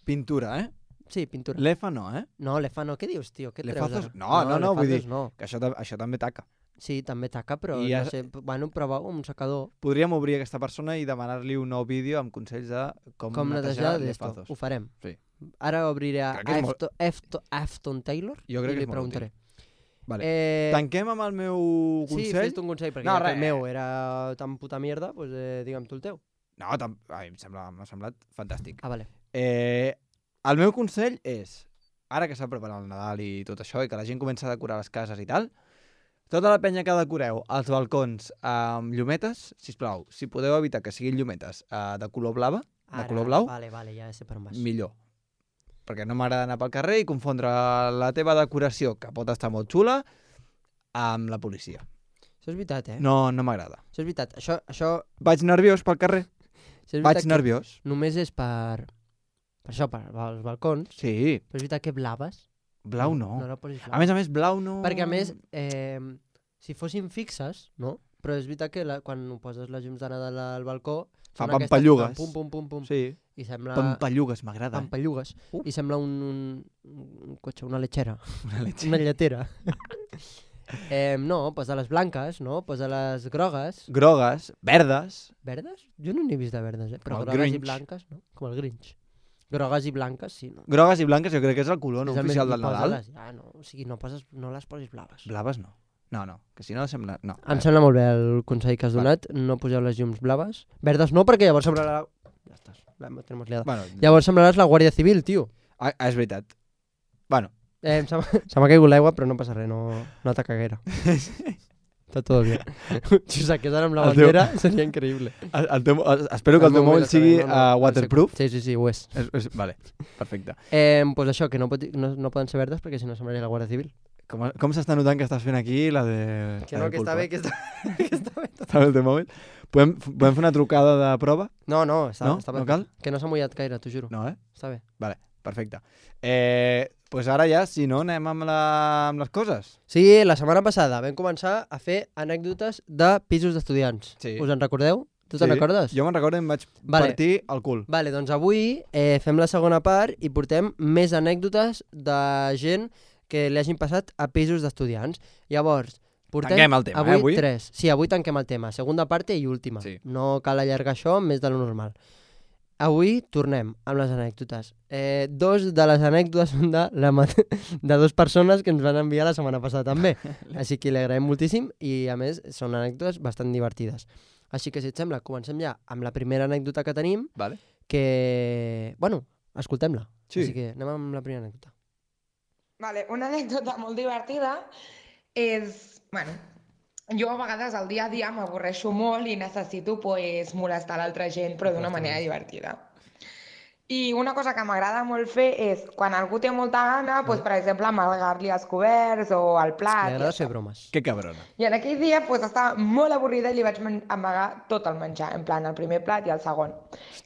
Pintura, Sí, pintura. L'EFA no, No, l'EFA no. Què dius, tio? Què treus ara? No, vull dir no. que això també taca. Sí, també taca, però I no sé, prova un secador. Podríem obrir aquesta persona i demanar-li un nou vídeo amb consells de com netejar l'EFA2. Ho farem. Sí. Ara obriré a Afton Taylor i li preguntaré. Vale. Tanquem amb el meu consell? Sí, fes-te un consell, perquè el meu era tan puta mierda, doncs digue'm tu el teu. No, m'ha semblat fantàstic. Ah, vale. El meu consell és, ara que s'ha preparat el Nadal i tot això, i que la gent comença a decorar les cases i tal, tota la penya que decoreu els balcons amb llumetes, sisplau, si podeu evitar que siguin llumetes de color blau, Vale, ja sé per on vas. millor. Perquè no m'agrada anar pel carrer i confondre la teva decoració, que pot estar molt xula, amb la policia. Això és veritat, No m'agrada. Això és veritat. Això... Vaig nerviós pel carrer. Vaig nerviós. Només és per això, per els balcons. Sí. Però és veritat que blaves. Blau no. No la posis blau. A més, blau no... Perquè a més, si fossin fixes, no? Però és veritat que quan poses les llums de Nadal al balcó... Fa pampallugues. Pum. Sí. I sembla... Pampallugues, m'agrada. Pampallugues. I sembla un cotxe, una lechera. Una Una lletera. No, posa les blanques, no? Posa les grogues. Grogues, verdes. Verdes? Jo no n'he vist de verdes, però Com el grogues Grinch. i blanques, no? Com el Grinch. Grogues i blanques, sí, no? Grogues i blanques jo crec que és el color no És el oficial més- del i Nadal. posa-les, no, o sigui, no les posis blaves. Blaves no. No, que si no sembla... No. Em sembla molt bé el consell que has donat, no poseu les llums blaves. Verdes no, perquè llavors semblarà... Ja estàs, la tenemos liada. Bueno, Llavors semblaràs la Guàrdia Civil, tio. és veritat. Bueno. Se m'ha caigut l'aigua, però no passa res, no ataca gaire. Està tot bé. Si ho saqués ara amb la bandera, seria increïble. Espero que el teu mòbil sigui waterproof. Sí, ho és. Vale, perfecte. Pues això, que no poden ser verdes perquè si no semblaria la Guàrdia Civil. Com s'està notant que estàs fent aquí la de... Que no, que està bé, que està bé. Està bé el teu mòbil? Podem fer una trucada de prova? No, està bé. No cal? Que no s'ha mullat gaire, t'ho juro. No, Està bé. Vale, perfecte. Pues ara ja, si no, anem amb les coses. Sí, la setmana passada vam començar a fer anècdotes de pisos d'estudiants. Sí. Us en recordeu? Tu te'n recordes? Jo me'n recordo i em vaig partir el cul. Vale, doncs avui fem la segona part i portem més anècdotes de gent que li hagin passat a pisos d'estudiants. Llavors, portem Tanquem el tema, avui avui? 3. Sí, avui tanquem el tema. Segona part i última. Sí. No cal allargar això més de lo normal. Avui tornem amb les anècdotes. Dos de les anècdotes són de dues persones que ens van enviar la setmana passada també. Així que li agraïm moltíssim i a més són anècdotes bastant divertides. Així que si et sembla, comencem ja amb la primera anècdota que tenim, Vale. que, bueno, escoltem-la. Sí. Així que anem amb la primera anècdota. Vale, una anècdota molt divertida és, bueno, jo a vegades al dia a dia m'avorreixo molt i necessito pues, molestar l'altra gent, però d'una manera divertida. I una cosa que m'agrada molt fer és, quan algú té molta gana, pues, per exemple, amalgar-li els coberts o el plat. M'agrada fer bromes. Que cabrona. I en aquell dia pues, estava molt avorrida i li vaig amagar tot el menjar, en plan el primer plat i el segon.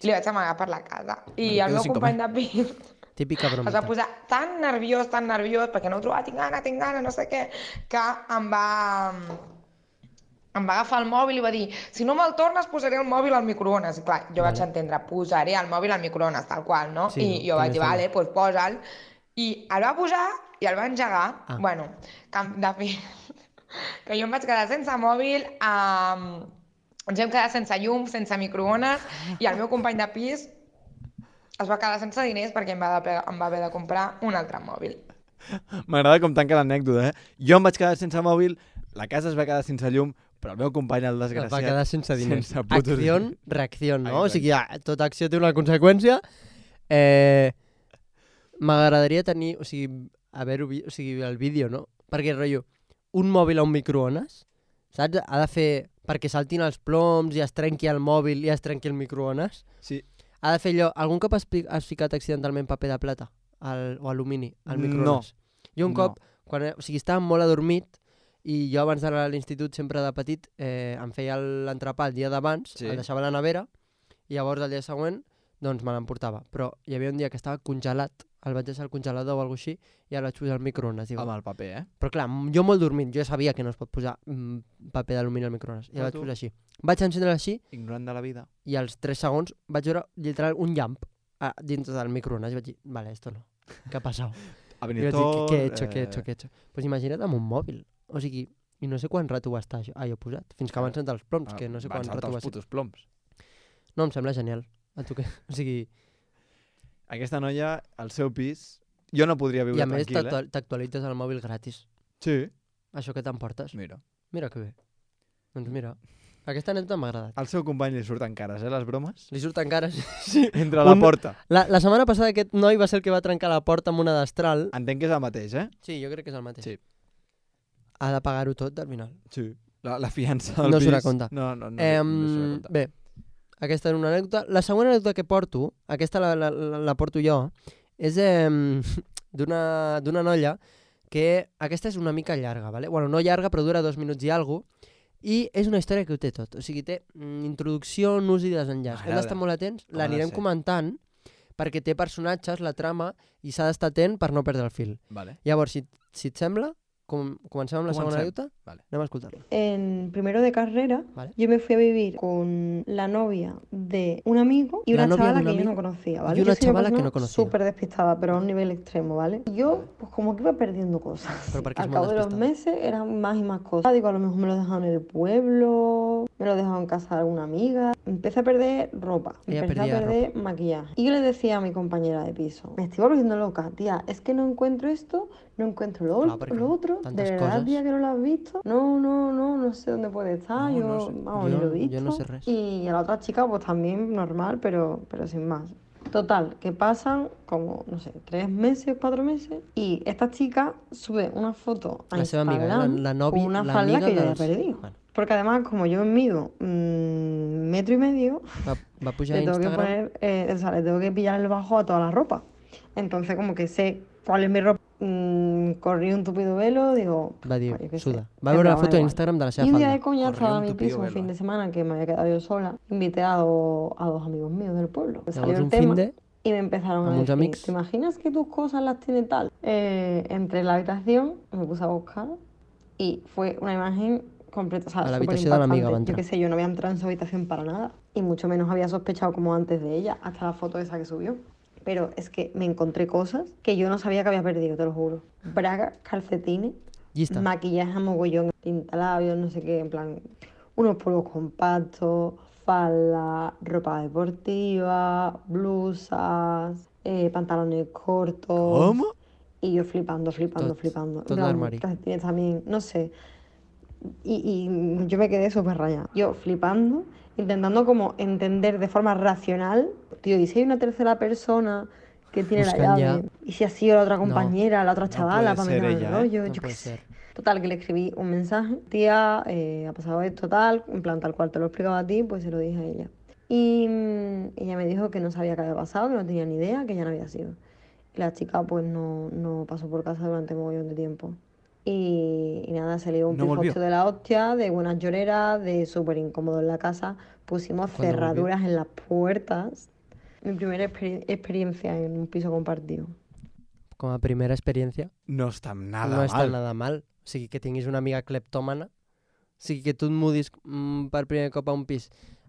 Li vaig amagar per la casa. I el meu company de pis Típica es va bromita. posar tan nerviós, perquè no ho trobava, tinc gana, no sé què, que em va agafar el mòbil i va dir, si no me'l tornes posaré el mòbil al microones. I clar, jo vaig entendre, posaré el mòbil al microones, tal qual, no? Sí, I jo vaig dir, vale, doncs posa'l. I el va posar i el va engegar. Ah. Bueno, de fet, que jo em vaig quedar sense mòbil, ens vam quedar sense llum, sense microones, i el meu company de pis es va quedar sense diners perquè em va haver de comprar un altre mòbil. M'agrada com tanca l'anècdota, Jo em vaig quedar sense mòbil, la casa es va quedar sense llum, però el meu company, el desgraciat... Es va quedar sense diners. Sense putos Acció, diners. reacció, no? Exacte. O sigui, tota acció té una conseqüència. M'agradaria tenir, o sigui, el vídeo, no? Perquè, rotllo, un mòbil a un microones, saps? Ha de fer, perquè saltin els ploms i es trenqui el mòbil i es trenqui el microones. Sí. Ha de fer allò... Algun cop has ficat accidentalment paper de plata o alumini al microones? Jo un cop, o sigui, estava molt adormit i jo abans d'anar a l'institut, sempre de petit, em feia l'entrepà el dia d'abans, el deixava a la nevera i llavors el dia següent doncs me l'emportava. Però hi havia un dia que estava congelat, el vaig deixar al congelador o alguna cosa així i el vaig posar al microones. Amb el paper, Però clar, jo molt dormit, jo sabia que no es pot posar paper d'alumini al microones i el vaig posar així. Vaig encendre així Ignorant de la vida. i als 3 segons vaig veure literal un llamp dins del microones i vaig dir, vale, esto no. ¿Qué ha pasado? Ha I venit vaig dir, tot... què he hecho? Pues imagina't amb un mòbil. O sigui, i no sé quant rato va estar allò posat. Fins que van saltar els ploms, que no sé quant rato va els ser. putos ploms. No, em sembla genial. A tu què? O sigui... Aquesta noia, al seu pis, jo no podria viure I a més tranquil, t'actualitzes el mòbil gratis. Sí. Això que t'emportes. Mira. Mira que bé. Doncs mira, aquesta anècdota m'ha agradat. Al seu company li surten cares, les bromes? Li surten cares. Sí. Entre la porta. La setmana passada aquest noi va ser el que va trencar la porta amb una destral. Entenc que és el mateix, Sí, jo crec que és el mateix. Sí. Ha de pagar-ho tot al final. Sí. La fiança del No pis... surt a compte. No surt a compte. Bé, aquesta és una anècdota. La següent anècdota que porto, aquesta la porto jo, és d'una noia que aquesta és una mica llarga, ¿vale? Bueno, no llarga, però dura 2 minuts i alguna cosa, i és una història que ho té tot. O sigui, té introducció, nus i desenllaç. Hem d'estar molt atents, l'anirem comentant, perquè té personatges, la trama, i s'ha d'estar atent per no perdre el fil. Vale. Llavors, si et sembla, comencem amb la segona anècdota. Vale. Anem a escoltar-la. En primero de carrera, Vale. yo me fui a vivir con la novia de un amigo y La una novia chavala de un que yo amigo no conocía, ¿vale? y una Yo soy chavala que persona no conocía. súper despistada, pero a un nivel extremo, ¿vale? Y yo, pues como que iba perdiendo cosas. Pero ¿por qué es Al muy cabo de los despistada? meses eran más y más cosas. Digo, a lo mejor me lo dejaron en el pueblo, me lo dejaron en casa de alguna amiga. Empecé a perder ropa, Ella empecé a perdía perder maquillaje. Y yo le decía a mi compañera de piso, me estoy volviendo loca, tía, es que no encuentro esto, no encuentro Claro, porque lo otro. tantas De verdad, cosas. tía, que no lo has visto. No sé dónde puede estar. No, yo, no sé. vamos, ni lo he visto. Yo no sé res. Y a la otra chica, pues también normal, pero sin más. Total, que pasan como, no sé, 3 meses, 4 meses, y esta chica sube una foto a La seva amiga, Instagram la novia, con una la falda amiga que yo había dels- perdido. Bueno, Porque además, como yo mido 1,5 metros, va pujar a le tengo que Instagram. poner, o sea, le tengo que pillar el bajo a toda la ropa. Entonces, como que sé cuál es mi ropa. Corrí un tupido velo, digo, Va dir, pues, yo qué sé, suda. Va veure la me foto daba a igual. Instagram de la seva Y un día de falda. coñazo Corrió a un mi tupido piso, un velo, fin de semana, que me había quedado yo sola, invité a dos amigos míos del pueblo. Me salió Llavors el un tema fin de... y me empezaron a amb uns decir, amics. ¿te imaginas que tus cosas las tiene tal? Entré en la habitación, me puse a buscar y fue una imagen completa, o sea, A la súper habitació de l'amiga va impactante. Yo entrar. qué sé, yo no había entrado en su habitación para nada y mucho menos había sospechado como antes de ella, hasta la foto esa que subió. Pero es que me encontré cosas que yo no sabía que había perdido, te lo juro. Bragas, calcetines, Llista. maquillaje a mogollón, pintalabios, no sé qué, en plan, unos polvos compactos, falda, ropa deportiva, blusas, pantalones cortos. ¿Cómo? Y yo flipando. Tot En plan, l'armari. calcetines también, no sé. Y yo me quedé súper rayada. Yo flipando, intentando como entender de forma racional, tío, ¿y si hay una tercera persona que tiene la Buscant llave? ¿Y si ha sido la otra compañera, la otra chavala, puede para ser meterme en el ella, rollo? No Yo qué puede sé. ser. Total, que le escribí un mensaje. Tía, ha pasado esto tal, en plan tal cual te lo he explicado a ti, pues se lo dije a ella. Y ella me dijo que no sabía qué había pasado, que no tenía ni idea, que ya no había sido. Y la chica pues no pasó por casa durante un mogollón de tiempo. Y nada, salió un No volvió. pifostio de la hostia, de buenas lloreras, de súper incómodo en la casa. Pusimos ¿Cuándo cerraduras en las puertas. Mi primera experiencia en un piso compartido. Com a primera experiència, No està nada no mal. està nada mal. O sigui, que tinguis una amiga cleptòmana, o sigui, que tu et mudis per primer cop a un pis,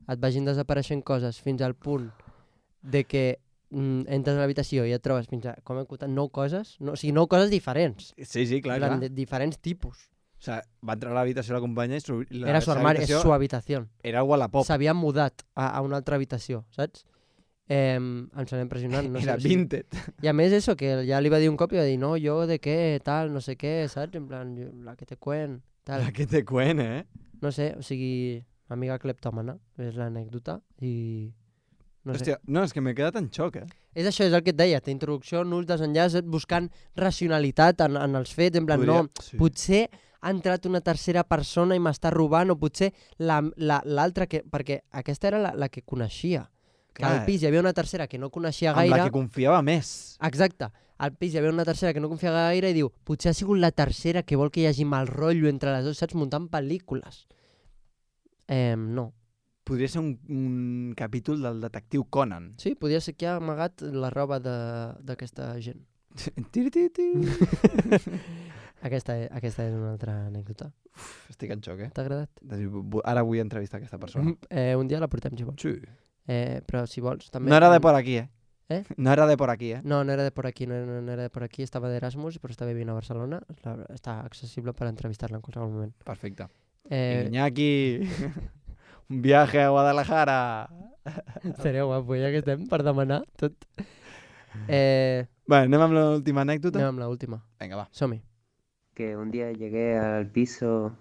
et vagin desapareixent coses fins al punt de que entres a l'habitació i et trobes fins a, com he contat, 9 coses, no, o sigui, 9 coses diferents, Sí, clar, en plan, clar. de diferents tipus. O sea, va entrar a l'habitació de la companya i Era su armari, és su habitació. Era Wallapop. S'havia mudat a una altra habitació, saps? Em sembla impressionant. No Era sé, vintage. I a més eso, que ja li va dir un cop i va dir no, jo de què, tal, no sé què, saps? En plan, la que te cuen, tal. La que te cuen, No sé, o sigui, amiga cleptòmana, és l'anècdota i... No sé. Hòstia, no, és que m'he quedat en xoc, És això, és el que et deia, introducció, nuls, desenllaç, buscant racionalitat en els fets, en plan, Sí. potser ha entrat una tercera persona i m'està robant, o potser l'altra que... Perquè aquesta era la que coneixia. Que al pis hi havia una tercera que no coneixia gaire... Amb la que confiava més. Exacte. Al pis hi havia una tercera que no confiava gaire i diu, potser ha sigut la tercera que vol que hi hagi mal rotllo entre les dues, saps? Muntant pel·lícules. No. Podria ser un capítol del detectiu Conan. Sí, podria ser que ha amagat la roba d'aquesta gent. Aquesta és una altra anècdota. Estic en xoc, T'ha agradat? Ara vull entrevistar aquesta persona. Un dia la portem, si vols. Sí. Però si vols... També... No era de por aquí, No era de por aquí, No era de por aquí, no era de por aquí. Estava d'Erasmus, però està vivint a Barcelona. Està accessible per entrevistar-la en qualsevol moment. Perfecte. Iñaki, un viaje a Guadalajara. Seria guapo, ja que estem per demanar tot. Vale, anem amb l'última anècdota? Anem amb l'última. Venga, va. Som-hi. Que un día llegué al piso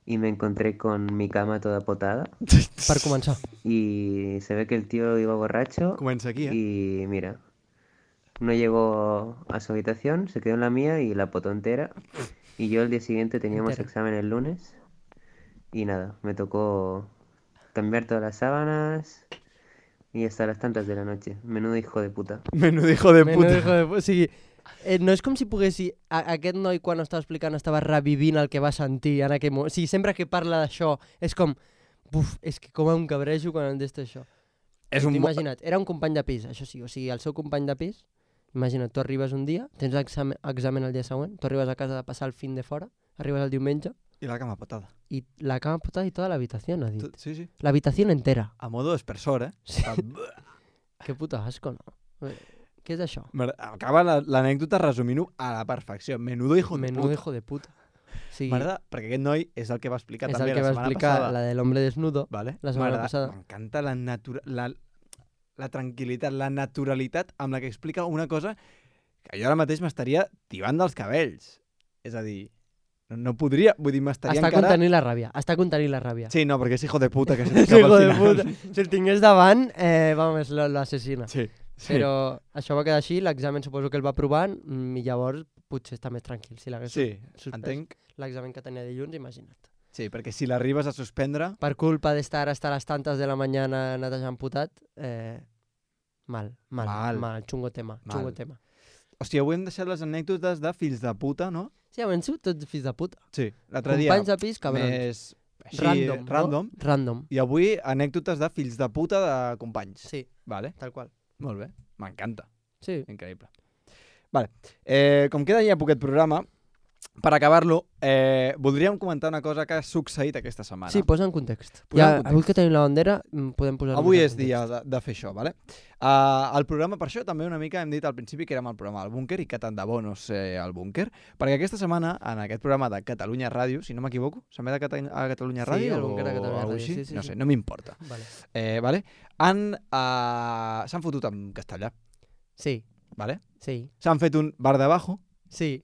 y me encontré con mi cama toda potada. Per començar. Y se ve que el tío iba borracho. Comença aquí, Y mira, no llegó a su habitación, se quedó en la mía y la potó entera. Y yo el día siguiente teníamos examen el lunes. Y nada, me tocó cambiar todas las sábanas y hasta las tantas de la noche. Menudo hijo de puta. Menudo hijo de puta. O sigui, no és com si poguessi... Aquest noi, quan estava explicant, estava revivint el que va sentir en aquell moment. O sigui, sempre que parla d'això, és com... Buf, és que com em cabrejo quan em desta això. Imagina't, era un company de pis, això sí. O sigui, el seu company de pis, imagina't, tu arribes un dia, tens examen el dia següent, tu arribes a casa de passar el fin de fora, arribes el diumenge... I la cama potada. Y la cama potada y toda la habitación, ha dit. Sí, sí. La habitación entera. A modo expressor, Sí. Que puto asco, no? Què és això? Acaba l'anècdota resumint-ho a la perfecció. Menudo hijo de puta. Menudo hijo de puta. Sí. M'agrada, perquè aquest noi és el que va explicar és també el que la va setmana explicar passada. la de l'hombre desnudo, Vale? la setmana passada. M'encanta la tranquil·litat, la naturalitat amb la que explica una cosa que jo ara mateix m'estaria tibant dels cabells. És a dir, no podria, vull dir, m'estaria Està encara... contenint la ràbia, està contenint la ràbia. Sí, no, perquè és hijo de puta que se És t'escapa hijo al de final. puta. Si el tingués davant, vamos, l'assassina. Sí, sí. Però això va quedar així, l'examen suposo que el va aprovant i llavors potser està més tranquil. Si l'hagués suspès entenc. L'examen que tenia dilluns, imagina't. Sí, perquè si l'arribes a suspendre... Per culpa d'estar hasta les tantes de la mañana netejant putat, mal, xungo tema. Hòstia, avui hem deixat les anècdotes de fills de puta, no? Sí, hem sigut tots fills de puta. Sí, l'altre dia... Companys de pis, cabrons. Més així, random. Random. I avui anècdotes de fills de puta de companys. Sí, vale. tal qual. Molt bé, m'encanta. Sí. Increïble. Vale. Com queda ja poquet programa, per acabar-lo, voldríem comentar una cosa que ha succeït aquesta setmana. Sí, posa en context. Avui que tenim la bandera, podem posar avui és dia de fer això, vale? El programa, per això, també una mica hem dit al principi que érem el programa del búnquer i que tant de bo no sé el búnquer, perquè aquesta setmana, en aquest programa de Catalunya Ràdio, si no m'equivoco, s'emet a Catalunya Ràdio? Sí, el búnquer a Catalunya Ràdio, sí. No sé, no m'importa. Vale. S'han fotut en castellà. Sí. Vale? Sí. S'han fet un bar d'abajo. Sí.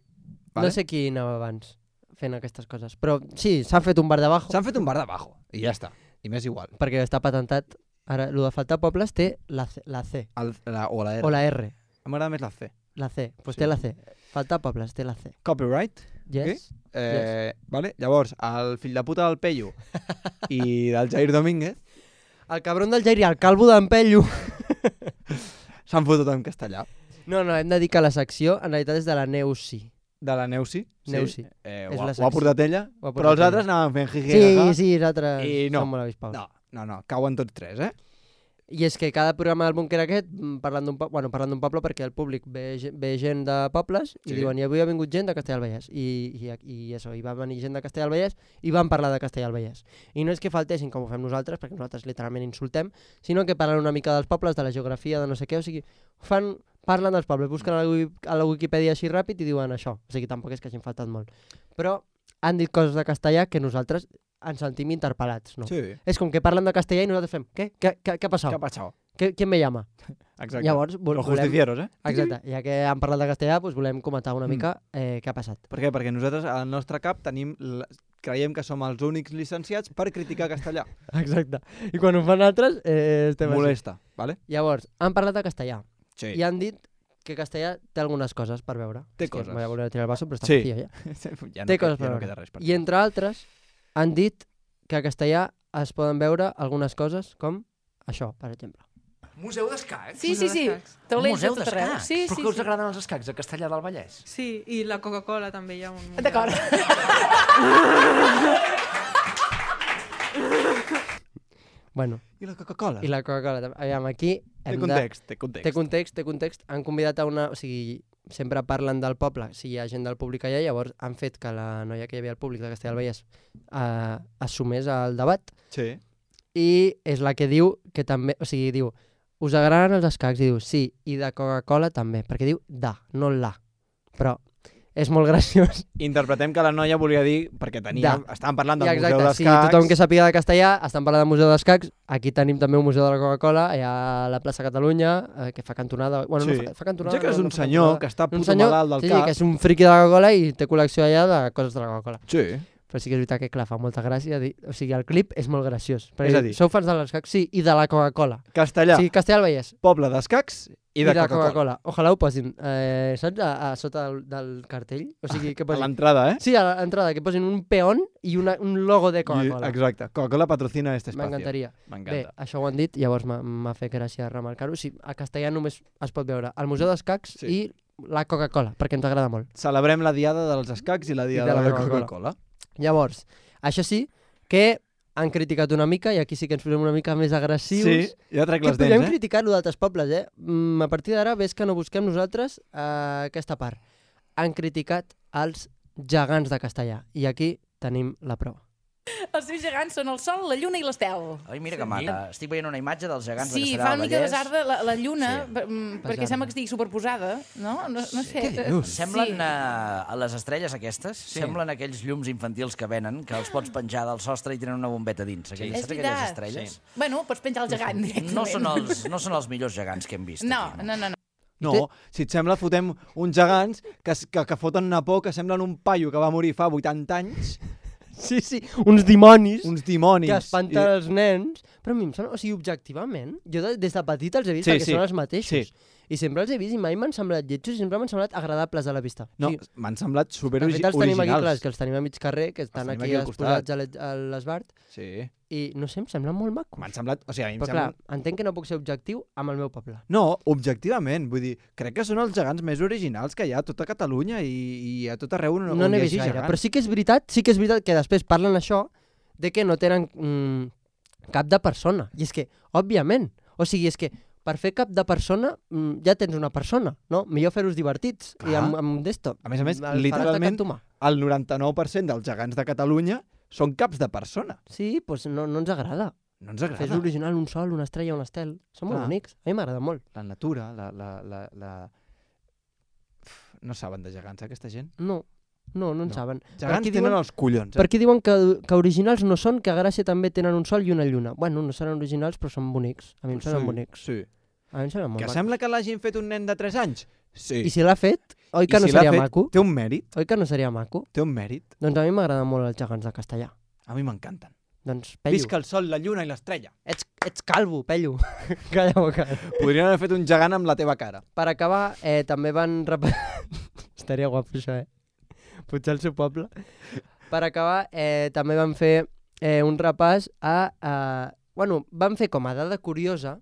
Vale? No sé qui anava abans fent aquestes coses, però sí, s'ha fet un bar d'abajo. S'han fet un bar d'abajo, i ja està. I m'és igual. Perquè està patentat. Ara, el de faltar pobles té la C. O la R. O la R. M'agrada més la C. La C. Pues té la C. Faltar pobles té la C. Copyright. Yes. Okay? Vale? Llavors, el fill de puta del Pello i del Jair Domínguez... El cabron del Jair i el calvo d'en Pello s'han fotut en castellà. No, hem de dir que la secció en realitat és de la Neusi. De la Neusi? Neusi. Ho ha portat ella, però els altres anaven fent jiji. Sí, els altres són molt avispaus. No, cauen tots tres, I és que cada programa del búnquer aquest, parlant d'un poble, perquè el públic ve gent de pobles i diuen, i avui ha vingut gent de Castelldefels i va venir gent de Castelldefels i van parlar de Castelldefels. I no és que faltessin com ho fem nosaltres, perquè nosaltres literalment insultem, sinó que parlen una mica dels pobles, de la geografia, de no sé què, o sigui, parlen dels pobles, busquen a la Wikipedia així ràpid i diuen això, o sigui, tampoc és que hagin faltat molt. Però han dit coses de castellà que nosaltres ens sentim interpel·lats, no? Sí. És com que parlen de castellà i nosaltres fem, què? Què ha passat? ¿Qué ha pasado? ¿Quién me llama? Exacte. Llavors, Los justicieros, Exacte, ja que han parlat de castellà, doncs volem comentar una mica què ha passat. Per què? Perquè nosaltres al nostre cap creiem que som els únics llicenciats per criticar castellà. Exacte. I quan ho fan altres, estem Molesta, vale? Llavors, han parlat de castellà Sí. i han dit que castellà té algunes coses per veure. Té coses. Voy a volver a tirar el vaso, però està Sí. vacío ja. Ja Té coses ja per no veure. queda res per I entre altres, han dit que a castellà es poden veure algunes coses com això, per exemple. Museu d'escacs? Sí. Taulells Museu de tot arreu. d'escacs? Sí, Però sí, que us sí. agraden els escacs a Castellà del Vallès? Sí, i la Coca-Cola també hi ha un... D'acord. Bueno, I la Coca-Cola? i la Coca-Cola també. Aviam, aquí Té hem context, de... té context. Té context. Han convidat a una... O sigui, sempre parlen del poble, si hi ha gent del públic allà, llavors han fet que la noia que hi havia al públic de Castellà del Vallès assumés el debat. Sí. I és la que diu que també... O sigui, diu, us agraden els escacs? I diu, sí, i de Coca-Cola també, perquè diu da, no la. Però és molt graciós. Interpretem que la noia volia dir, perquè estàvem parlant del Museu d'Escacs. Sí, tothom que sàpiga de castellà, estan parlant del Museu d'Escacs, aquí tenim també un Museu de la Coca-Cola, hi ha la plaça Catalunya, que fa cantonada... Bueno, sí. no fa cantonada... Ja que és no un fa senyor cantonada. que està puto senyor, malalt del sí, cap. que és un friqui de la Coca-Cola i té col·lecció allà de coses de la Coca-Cola. Sí. Però sí que és veritat que, clar, fa molta gràcia dir... O sigui, el clip és molt graciós. És a dir... Sou fans de l'escacs? Sí, i de la Coca-Cola. Castellà. Sí, Castellà del Vallès. Poble d'escacs i de Coca-Cola. Ojalà ho posin. Saps? A sota del cartell. O sigui, que posin... A l'entrada, Sí, a l'entrada, que posin un peón i un logo de Coca-Cola. Exacte. Coca-Cola patrocina este espacio. M'encantaria. Bé, M'encanta. això ho han dit, llavors m'ha fet gràcia remarcar-ho. Sí, a castellà només es pot veure el Museu d'Escacs i la Coca-Cola, perquè ens agrada molt. Celebrem la diada dels escacs i la diada de la Coca-Cola. Llavors, això sí, que han criticat una mica, i aquí sí que ens posem una mica més agressius. Sí, ja trec les dents, podríem criticar-lo d'altres pobles, A partir d'ara, ves que no busquem nosaltres aquesta part. Han criticat els gegants de castellà, i aquí tenim la prova. Els seus gegants són el sol, la lluna i l'estel. Ai, mira que maca. Estic veient una imatge dels gegants de Sí, Castellà fa del una mica Vallès. besarda la lluna, perquè sembla que estigui superposada, no? No sé. Què dius? Semblen a les estrelles aquestes, semblen aquells llums infantils que venen, que els pots penjar del sostre i tenen una bombeta dins. És Saps aquelles veritat. estrelles? Bueno, pots penjar el gegant directament. No són els millors gegants que hem vist. No. No, si et sembla, fotem uns gegants que foten una por, que semblen un paio que va morir fa 80 anys. Sí, uns dimonis. Uns dimonis. Que espanten els nens. Però a mi em sembla, o sigui, objectivament, jo des de petit els he vist perquè són els mateixos. I sempre els he vist i mai m'han semblat lletjos i sempre m'han semblat agradables a la vista. No, o sigui, m'han semblat superoriginals. Els tenim aquí, clar, que els tenim a mig carrer, que estan aquí exposats a l'Esbart. Sí. I no sé, em semblen molt macos. M'han semblat... O sigui, a mi em però clar, entenc que no puc ser objectiu amb el meu poble. No, objectivament. Vull dir, crec que són els gegants més originals que hi ha a tota Catalunya i a tot arreu on no n'he vist gaire, però sí que és veritat que després parlen això de que no tenen cap de persona. I és que, òbviament, o sigui, és que per fer cap de persona ja tens una persona, no? Millor fer-los divertits i amb d'esto. A més, literalment, el 99% dels gegants de Catalunya són caps de persona. Sí, doncs no ens agrada. No ens agrada. Fes l'original, un sol, una estrella, un estel. Són molt bonics. A mi m'agrada molt. La natura, No saben de gegants, aquesta gent? No en saben. Gegants tenen els collons. Per aquí diuen que originals no són, que a Gràcia també tenen un sol i una lluna. Bueno, no seran originals, però són bonics. A mi em semblen bonics. Sí. A mi em semblen molt Que sembla que l'hagin fet un nen de 3 anys? Sí. I si l'ha fet, oi que no seria maco? Té un mèrit. Oi que no seria maco? Té un mèrit. Doncs a mi m'agraden molt els gegants de castellà. A mi m'encanten. Doncs, Pello. Visca el sol, la lluna i l'estrella. Ets calvo, Pello. Calla boca. Podrien haver fet un gegant amb la teva cara. Per acabar, també van... Estaria guapo això, Potser al seu poble. Per acabar, també van fer un repàs Bueno, van fer com a dada curiosa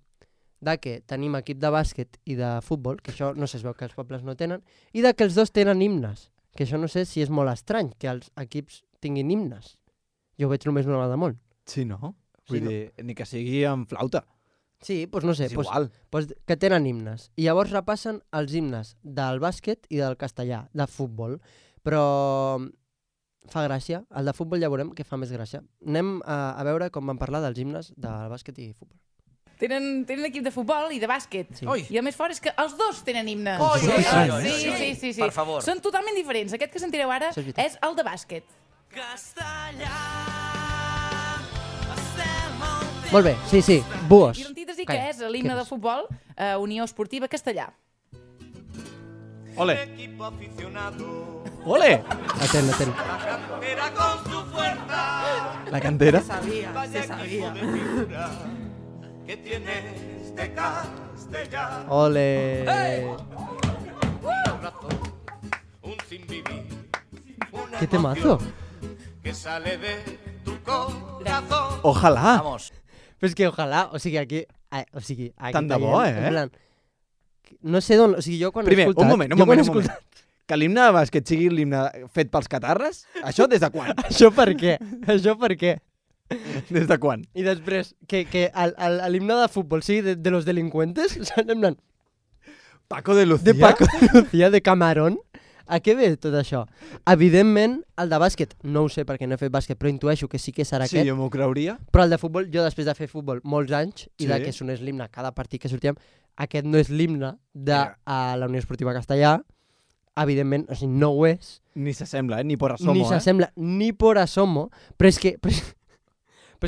de que tenim equip de bàsquet i de futbol, que això no sé, es veu que els pobles no tenen, i de que els dos tenen himnes, que això no sé si és molt estrany, que els equips tinguin himnes. Jo ho veig només una vegada molt. Sí, no? Vull dir, ni que sigui amb flauta. Sí, doncs no sé, que tenen himnes. I llavors repassen els himnes del bàsquet i del castellà, de futbol. Però fa gràcia. El de futbol ja veurem que fa més gràcia. Anem a veure com van parlar dels himnes del bàsquet i futbol. Tenen equip de futbol i de bàsquet. Sí. I el més fort és que els dos tenen himnes. Sí. Sí. Per favor. Són totalment diferents. Aquest que sentireu ara és el de bàsquet. Molt bé, sí, Buos. I l'antítesi que és l'himne de futbol, Unió Esportiva Castellà. Ole! Ole! Atent. La cantera? Se sabia. Ole! ¿Qué temazo? Ojalá. Vamos. Però és que ojalà, o sigui, aquí Tant de bo, en plan, no sé d'on, o sigui, jo quan he Primer, escoltat... un moment. Que l'himne de bàsquet sigui l'himne fet pels catarres? Això des de quan? Això per què? Des de quan? I després, que l'himne de futbol sigui de los delincuentes, saps? En plan, Paco de Lucía? de Paco de Lucía, de Camarón. A què ve tot això? Evidentment, el de bàsquet, no ho sé perquè no he fet bàsquet, però intueixo que sí que serà aquest. Sí, jo m'ho creuria. Però el de futbol, jo després de fer futbol molts anys, i de que sonés l'himne cada partit que sortíem, aquest no és l'himne de la Unió Esportiva Castellà. Evidentment, o sigui, no ho és. Ni s'assembla, ni por asomo, Ni s'assembla, ni por asomo, però és que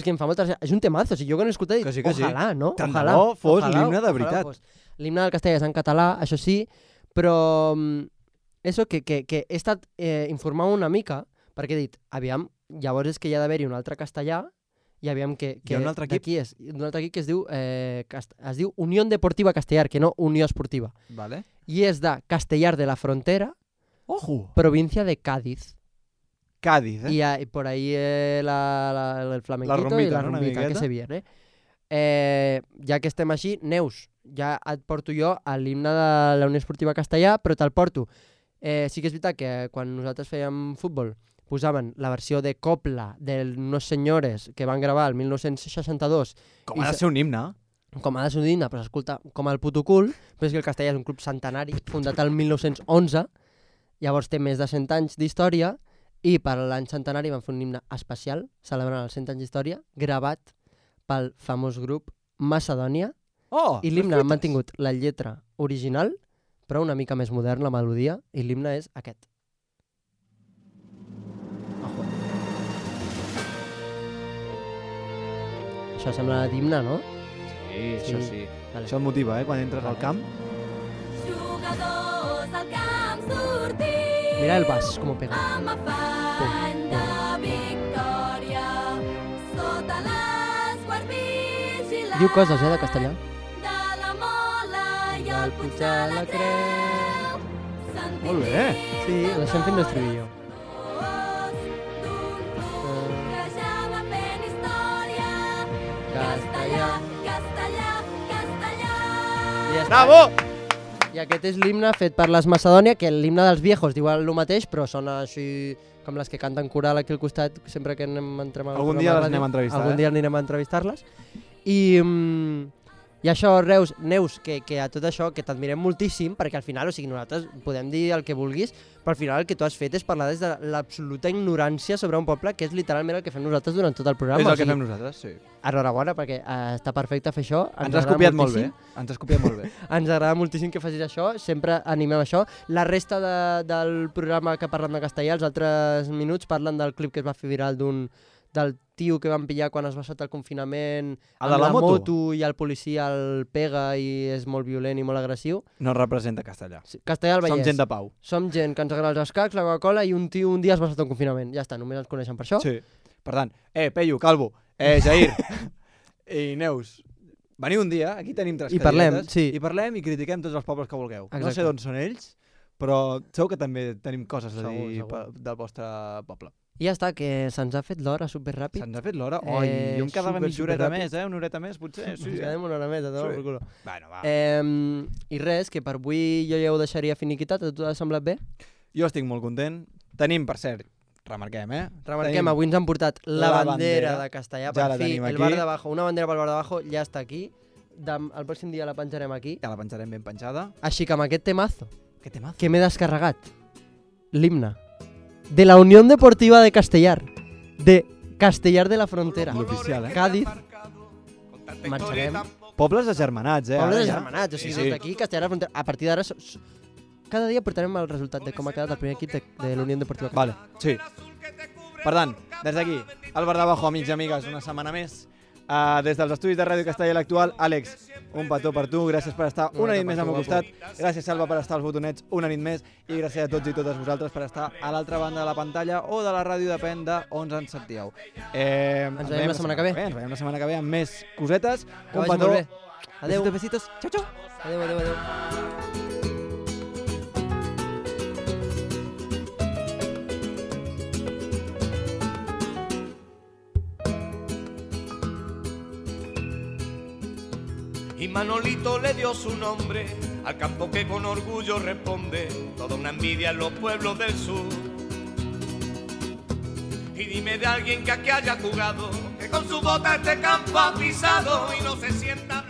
em fa molta... És un temazo, o sigui, jo quan he escoltat he dit, ojalà, no? Tant de bo fos l'himne de veritat. L'himne del Castellà és en català, això sí, però... Eso que he estat informant una mica, perquè he dit, aviam, llavors és que hi ha d'haver-hi un altre castellà, i aviam que hi ha un altre equip? Qui és? Un altre equip que es diu Unió Deportiva Castellar, que no Unió Esportiva. Vale. I és de Castellar de la Frontera, província de Cádiz. Cádiz, Y por ahí el flamenquito y la rumbita que se viene. Ja que estem així, Neus, ja et porto jo a l'himne de la Unió Esportiva Castellà, però te'l porto. Sí que és veritat que quan nosaltres fèiem futbol posaven la versió de Copla d'unos senyores que van gravar el 1962. Com ha de ser un himne. Com ha de ser un himne, però s'escolta com el puto cul, però és que el Castellà és un club centenari, fundat el 1911, llavors té més de 100 anys d'història, i per l'any centenari van fer un himne especial, celebrant els 100 anys d'història, gravat pel famós grup Macedònia, i l'himne ha mantingut la lletra original, però una mica més modern la melodia, i l'himne és aquest. Això sembla d'himne, no? Sí, això sí. Vale. Això et motiva, quan entres al camp. Jugadors al camp sortim. Mira el bas, com ho pega. Amb afany de victòria, sota l'esguard vigilant. Diu coses, de castellà. De la mola i el puig de la creu. Molt bé. Sí, ho deixem fent l'estribillo. Que ja va fent història. Castellà, castellà, castellà. Bravo! I aquest és l'himne fet per les Macedònia, que l'himne dels viejos diu el mateix, però sona així com les que canten coral aquí al costat sempre que entrem al Algun dia les anem a entrevistar. Algun dia anirem a entrevistar-les. I això, Neus, que a tot això, que t'admirem moltíssim, perquè al final, o sigui, nosaltres podem dir el que vulguis, però al final el que tu has fet és parlar des de l'absoluta ignorància sobre un poble, que és literalment el que fem nosaltres durant tot el programa. És el que fem nosaltres, sí. Enhorabona, perquè està perfecte fer això. Ens has copiat molt bé. Ens has copiat molt bé. Ens agrada moltíssim que facis això, sempre animem això. La resta del programa que parlen de castellà, els altres minuts parlen del clip que es va fer viral del tio que van pillar quan es va saltar el confinament amb la moto i el policia el pega i és molt violent i molt agressiu. No representa Castellà. Sí, Castellà al Vallès. Som gent de pau. Som gent que ens agrada els escacs, la Coca-Cola i un tio un dia es va saltar un confinament. Ja està, només ens coneixen per això. Sí. Per tant, Peyu, Calvo, Jair i Neus, veniu un dia, aquí tenim tres cadelletes, i parlem i critiquem tots els pobles que vulgueu. Exacte. No sé d'on són ells, però segur que també tenim coses a dir del vostre poble. I ja està, que se'ns ha fet l'hora superràpid. Se'ns ha fet l'hora? Oi, jo em quedava mitja horeta més, una horeta més, potser. Sí, ens quedem una hora més, a tot el culo. Bueno, va. I res, que per avui jo ja ho deixaria finiquitat, a tu t'ha semblat bé? Jo estic molt content. Tenim, per cert, remarquem, Remarquem, avui ens han portat la bandera de Castellà, per fi, el bar d'abajo, una bandera pel bar d'abajo, ja està aquí. El pròxim dia la penjarem aquí. Ja la penjarem ben penjada. Així que amb aquest temazo, que m'he descarregat, l'himne de la Unión Deportiva de Castellar, de Castellar de la Frontera, l'oficial, Cádiz, marxarem. Pobles agermanats, Pobles agermanats, o sigui, des d'aquí, Castellar de la Frontera. A partir d'ara, cada dia portarem el resultat de com ha quedat el primer equip de la Unión Deportiva. Vale, sí. Per tant, des d'aquí, el Bar d'Abajo, amics i amigues, una setmana més. Des dels estudis de Ràdio Castellà i l'Actual, Àlex, un petó per tu, gràcies per estar una nit més al meu costat, gràcies Salva per estar als botonets una nit més i gràcies a tots i totes vosaltres per estar a l'altra banda de la pantalla o de la ràdio, depèn d'on ens sentíeu. Ens veiem la setmana que ve. Ens veiem la setmana que ve amb més cosetes. Un petó. Adéu. Besitos. Xau. Adéu. Y Manolito le dio su nombre al campo que con orgullo responde toda una envidia en los pueblos del sur. Y dime de alguien que aquí haya jugado, que con su bota este campo ha pisado y no se sienta